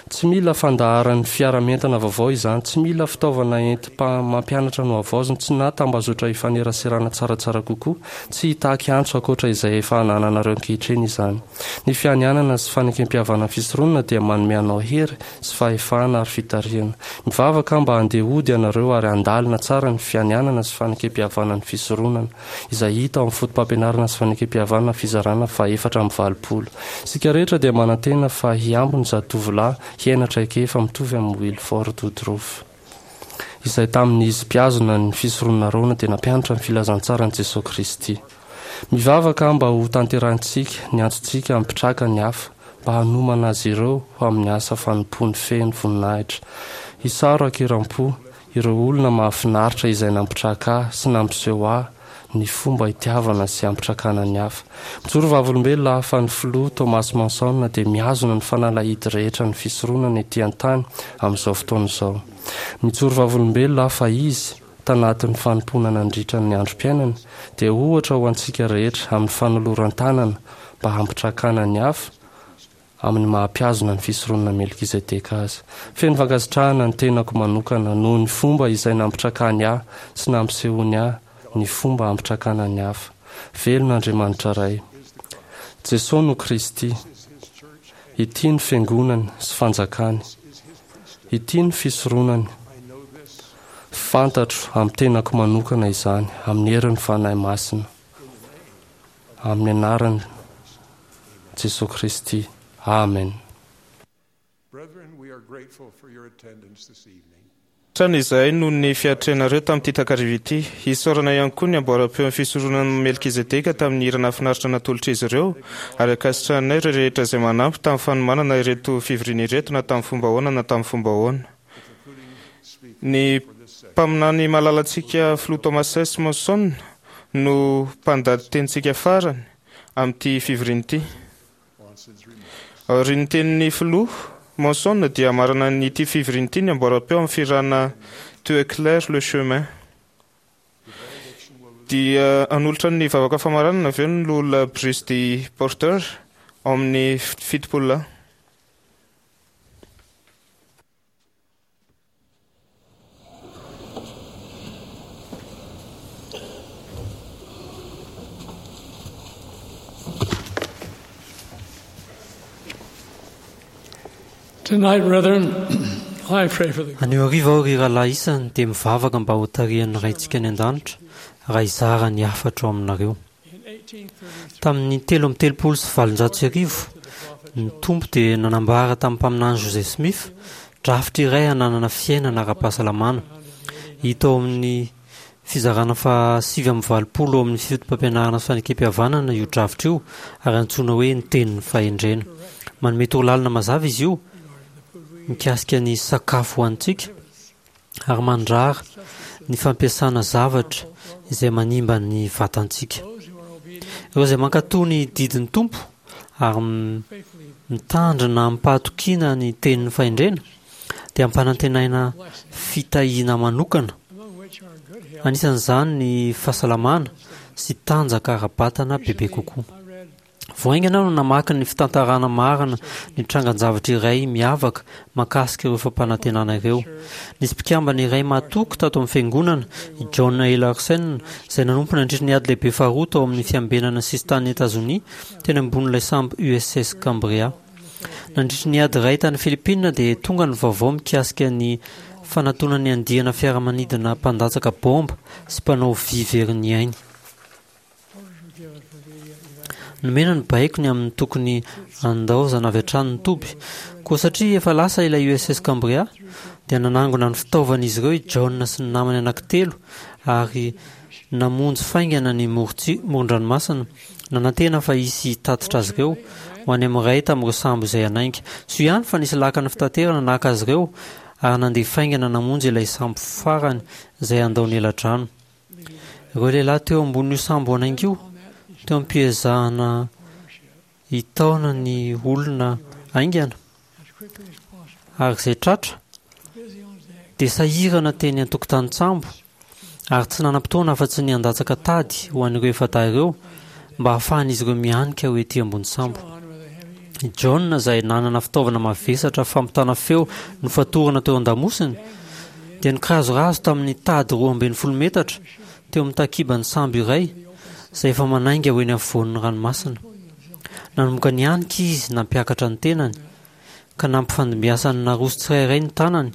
Tsy mila fandaharan'ny fiara-mientana vaovao izany, tsy mila fitaovana entim-mampianatra nohavaozina, tsy na tambazotra ifaneraserana tsaratsara kokoa, tsy hitaky antso ankoatra izay efa anananareo ankehitriny izany. Ny fianianana sy fanekem-pihavanana fisoronana dia manome anao hery sy fahefana ary fitarihana. Mivavaka aho mba handeha hody ianareo ary handalina tsara ny fianianana sy fanekem-pihavanana fisoronana, izay hita ao amin'ny foto-pampianarana sy fanekem-pihavanana fizarana fahaefatra amby valopolo. Isika rehetra dia manantena fa hiampy ny zatovolahy hiaina traikefa mitovy amin'ny Wilford Woodruff, izay tamin'izy mpihazona ny fisoronana Arona dia nampianatra ny filazantsaran'i Jesoa Kristy. Mivavaka aho mba ho tanterahintsika ny antsontsika hampitraka ny hafa mba hanomana azy ireo ho amin'ny asa fanompoany feno voninahitra. Isaro ankiram-po ireo olona mahafinaritra izay nampitraka ahy sy nampiseho ahy ny fomba itiavana sy hampitrakana ny hafa. Mijoro vavolombelona aho fa ny filoha Thomas Monson dia mihazona ny fanalahidy rehetra ny fisoronana ety an-tany amin'izao fotoana izao. Mijoro vavolombelona aho fa izy, tanatin'ny fanompoana nandritra ny androm-piainany, dia ohatra ho antsika rehetra amin'ny fanoloran-tanana mba hampitrakana ny hafa amin'ny maha-mpihazona ny fisoronana Melkizedeka azy. Feno fankasitrahana ny tenako manokana noho ny fomba izay nampitrakany ahy sy nampisehoany ahy ny fomba hampitrakana ny hafa. Velona Andriamanitra Ray. Jesoa no Kristy. Ity ny fiangonany sy fanjakany. Ity ny fisoronany. Fantatro amin'ny tenako manokana izany, amin'ny herin'ny Fanahy Masina, amin'ny anaran'i Jesosy Kristy. Amen. Trano izahay noho ny fiatrehanareo tamin'ity takariva ity. Isaorana ihany koa ny amboaram-peon'ny fisoronana Melkizedeka tamin'ny hira nahafinaritra natolotr'izy ireo, ary ankasitrahanay ireo rehetra izay manampy tamin'ny fanomanana ireto fivoriana ireto na tamin'ny fomba ahoana na tamin'ny fomba ahoana. Ny mpaminany malalantsika Filoha Thomas S. Monson no mpandady tenintsika farany amin'ity fivoriana ity. Aorian'ny tenin'ny Filoha Monson dia marina ity fivoriana ity ny amboaram-peo amin'ny fihirana Tu éclaires le chemin. Dia hanolotra ny vavaka famaranana avy eo ny loholona Bruce D. Porter ao amin'ny fitopolo lahy. Tonight, brethren, I pray for the Anio hariva aho ry rahalahy isany dia mivavaka mba ho tarihan'ny Raintsika any an-danitra raha hizara ny hafatra ao aminareo. Tamin'ny telo amby telopolo sy valonjato sy arivo, ny Tompo dia nanambara tamin'ny mpaminany Joseph Smith drafitra iray hananana fiainana ara-pahasalamana. Hita ao amin'ny fizarana faha sivy amby valopolo ao amin'ny fotopampianarana sy fanekempihavanana io drafitra io ary antsoina hoe ny tenin'ny fahendrena. Manome torolalana mazava izy io mikasika ny sakafo hohanintsika ary mandrara ny fampiasana zavatra izay manimba ny vatantsika. Ireo izay mankatò ny didin'ny Tompo ary mitandrina amim-pahatokiana ny tenin'ny fahendrena dia ampanantenaina fitahiana manokana, anisan'izany ny fahasalamana sy tanjaka ara-batana bebe kokoa. Vao haingana aho no namaky ny fitantarana marina ny trangan-javatra iray miavaka mahakasika ireo fampanantenana ireo. Nisy mpikambana iray mahatoky tato amin'ny fiangonana, i John A. Larsen, izay nanompo nandritra ny ady lehibe faharoa tao amin'ny fiambenana sisin-tanin'i Etazonia teny ambonin'ilay sambo U S S Cambria. Nandritra ny ady iray tany Philippines dia tonga ny vaovao mikasika ny fanatonan'ny andiana fiaramanidina mpandatsaka baomba sy mpanao vy very ny ainy. Nomena ny baiko ny amin'ny tokony handaozana avy hatrany ny toby. Koa satria efa lasa ilay U S S Cambria, dia nanangona ny fitaovan'izy ireo i John sy ny namany anankitelo ary namonjy faingana ny morotsi-, moron-dranomasina, nanantena fa hisy hitatitra azy ireo ho any amin'ny iray tamin'ireo sambo izay hanainga. Soa ihany fa nisy lakana fitaterana naka azy ireo ary nandeha faingana namonjy ilay sambo farany izay handao ny eladrano. Ireo lehilahy teo ambonin'io sambo hanainga io, teo am-piezahana hitaona ny olona haingana ary izay tratra, dia sahirana teny an-tokotanin-tsambo ary tsy nanam-potoana afa-tsy ny handatsaka tady ho an'ireo efa-dahy ireo mba hahafahan'izy ireo mihanika ho ety ambony sambo. I John, izay nanana fitaovana mavesatra fampitana feo nofatorana teo an-damosiny, dia nikirazorazo tamin'ny tady roa ambin'ny folo metatra teo amin'ny takiban'ny sambo iray izay efa manainga ho eny afovoan'ny ranomasina. Nanomboka nihanika izy nampiakatra ny tenany, ka nampifandimbiasany naroso tsirairay ny tanany.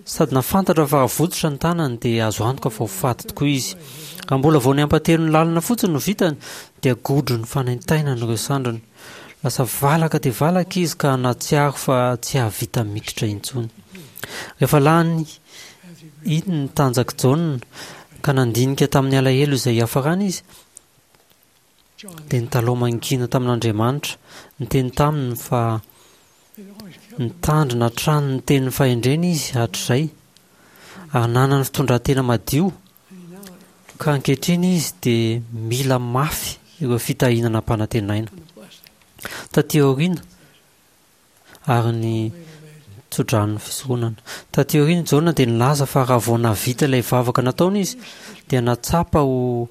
Sady nahafantatra fa raha votsotra ny tanany dia azo antoka fa ho faty tokoa izy. Raha mbola vao ny ampahatelon'ny lalana fotsiny no vitany dia godro ny fanaintainany ireo sandriny. Lasa valaka dia valaka izy ka nahatsiaro fa tsy hahavita mikitra intsony. Rehefa lany iny ny tanjak'i Jaona ka nandinika tamin'ny alahelo izay hiafarany izy, dia nitalaho mangina tamin'Andriamanitra, niteny taminy fa nitandrina hatrany ny tenin'ny fahendrena izy hatrizay, ary nanana fitondran-tena madio, ka ankehitriny izy dia mila mafy ireo fitahiana nampanantenaina. Taty aoriana, ary ny tsodranon'ny fisoronana. Taty aoriana i Jaona dia nilaza fa raha vao nahavita ilay vavaka nataony izy dia nahatsapa ho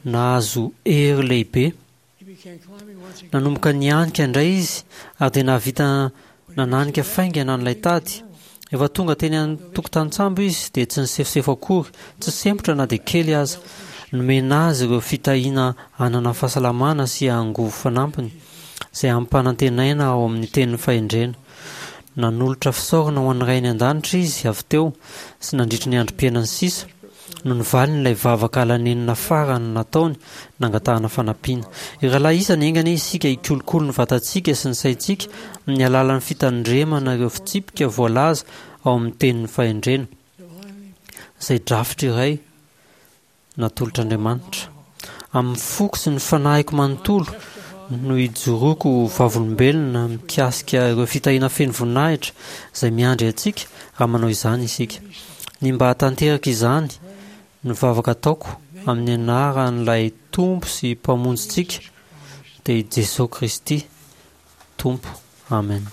nahazo hery lehibe. Nanomboka nihanika indray izy ary dia nahavita nananika faingana an'ilay tady. Rehefa tonga teny an-tokotanin-tsambo izy dia tsy nisefosefo akory, tsy sempotra na dia kely aza. Nomena azy ireo fitahiana hanana fahasalamana sy angovo fanampiny, izay ampanantenaina ao amin'ny tenin'ny fahendrena. Nanolotra fisaorana ho an'ny Rainy an-danitra izy avy teo sy nandritra ny androm-piainany sisa, no nivaliny ilay vavaka ala-nenina farany nataony nangatahana fanampiana. Ry rahalahy isany, enga anie isika hikolokolo ny vatantsika sy ny saintsika amin'ny alalan'ny fitandremana ireo fitsipika voalaza ao amin'ny Tenin'ny Fahendrena, izay drafitra iray natolotr'Andriamanitra. Amin'ny foko sy ny fanahiko manontolo no ijoroako ho vavolombelona mikasika ireo fitahiana feno voninahitra izay miandry antsika raha manao izany isika. Ny mba hahatanteraka izany no vavaka ataoko amin'ny anaran'ilay Tompo sy Mpamonjintsika, dia i Jesoa Kristy Tompo. Amen.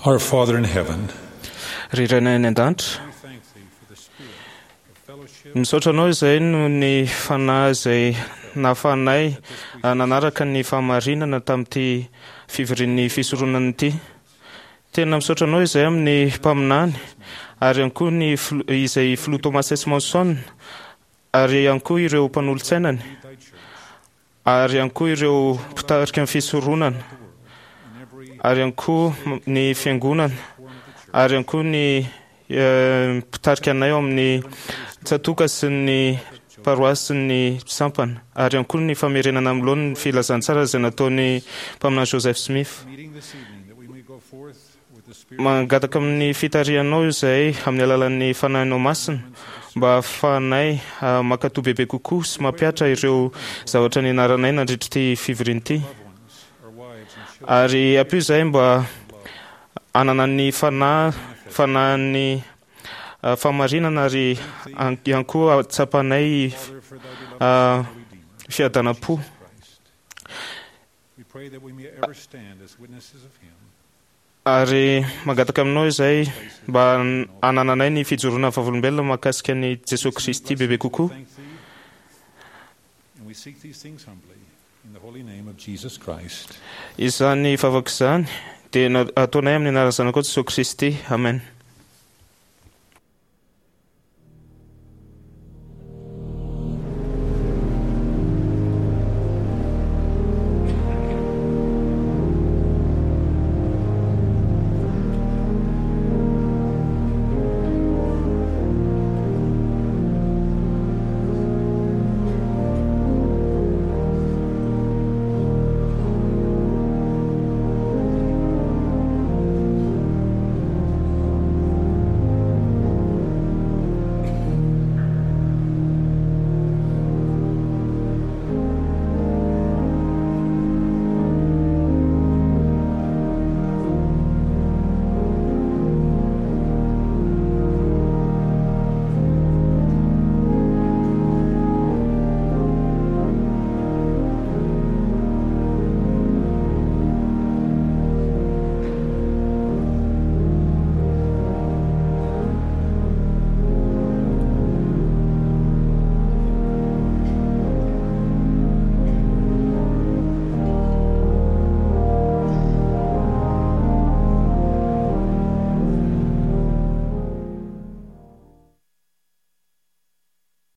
Our Father in heaven, Ry Rainay any an-danitra, misaotra anao izay noho ny fanahy izay nahafahanay nanaraka ny fahamarinana tamin'ity fivorian'ny fisoronana ity. Tena misaotra anao izay amin'ny mpaminany ary ihany koa ny izay filoha Thomas S. Monson ary ihany koa ireo mpanolotsainany ary ihany koa ireo mpitarika ny fisoronana ary ihany koa ny fiangonana ary ihany koa ny mpitarika anay ao amin'ny tsatoka sy ny paroasy sy ny sampana ary ihany koa ny famerenana amin'ny laoniny ny filazantsara izay nataon'ny mpaminany Joseph Smith. Mangataka amin'ny fitarihanao izay amin'ny alalan'ny fanahinao masina mba hahafahanay mankatò bebe kokoa sy mampihatra ireo zavatra nianaranay nandritra ity fivoriana ity. Ary ampio izahay mba hanana ny fanahy fanahin'ny fahamarinana ary ihany koa tsapanay fiadanam-po. Ary mangataka aminao izay mba hanananay ny fijoroana vavolombelona mahakasika ny Jesoa Kristy bebe kokoa. Izany vavaka izany dia ataonay amin'ny anaran'ny Zanakao Jesoa Kristy. Amen.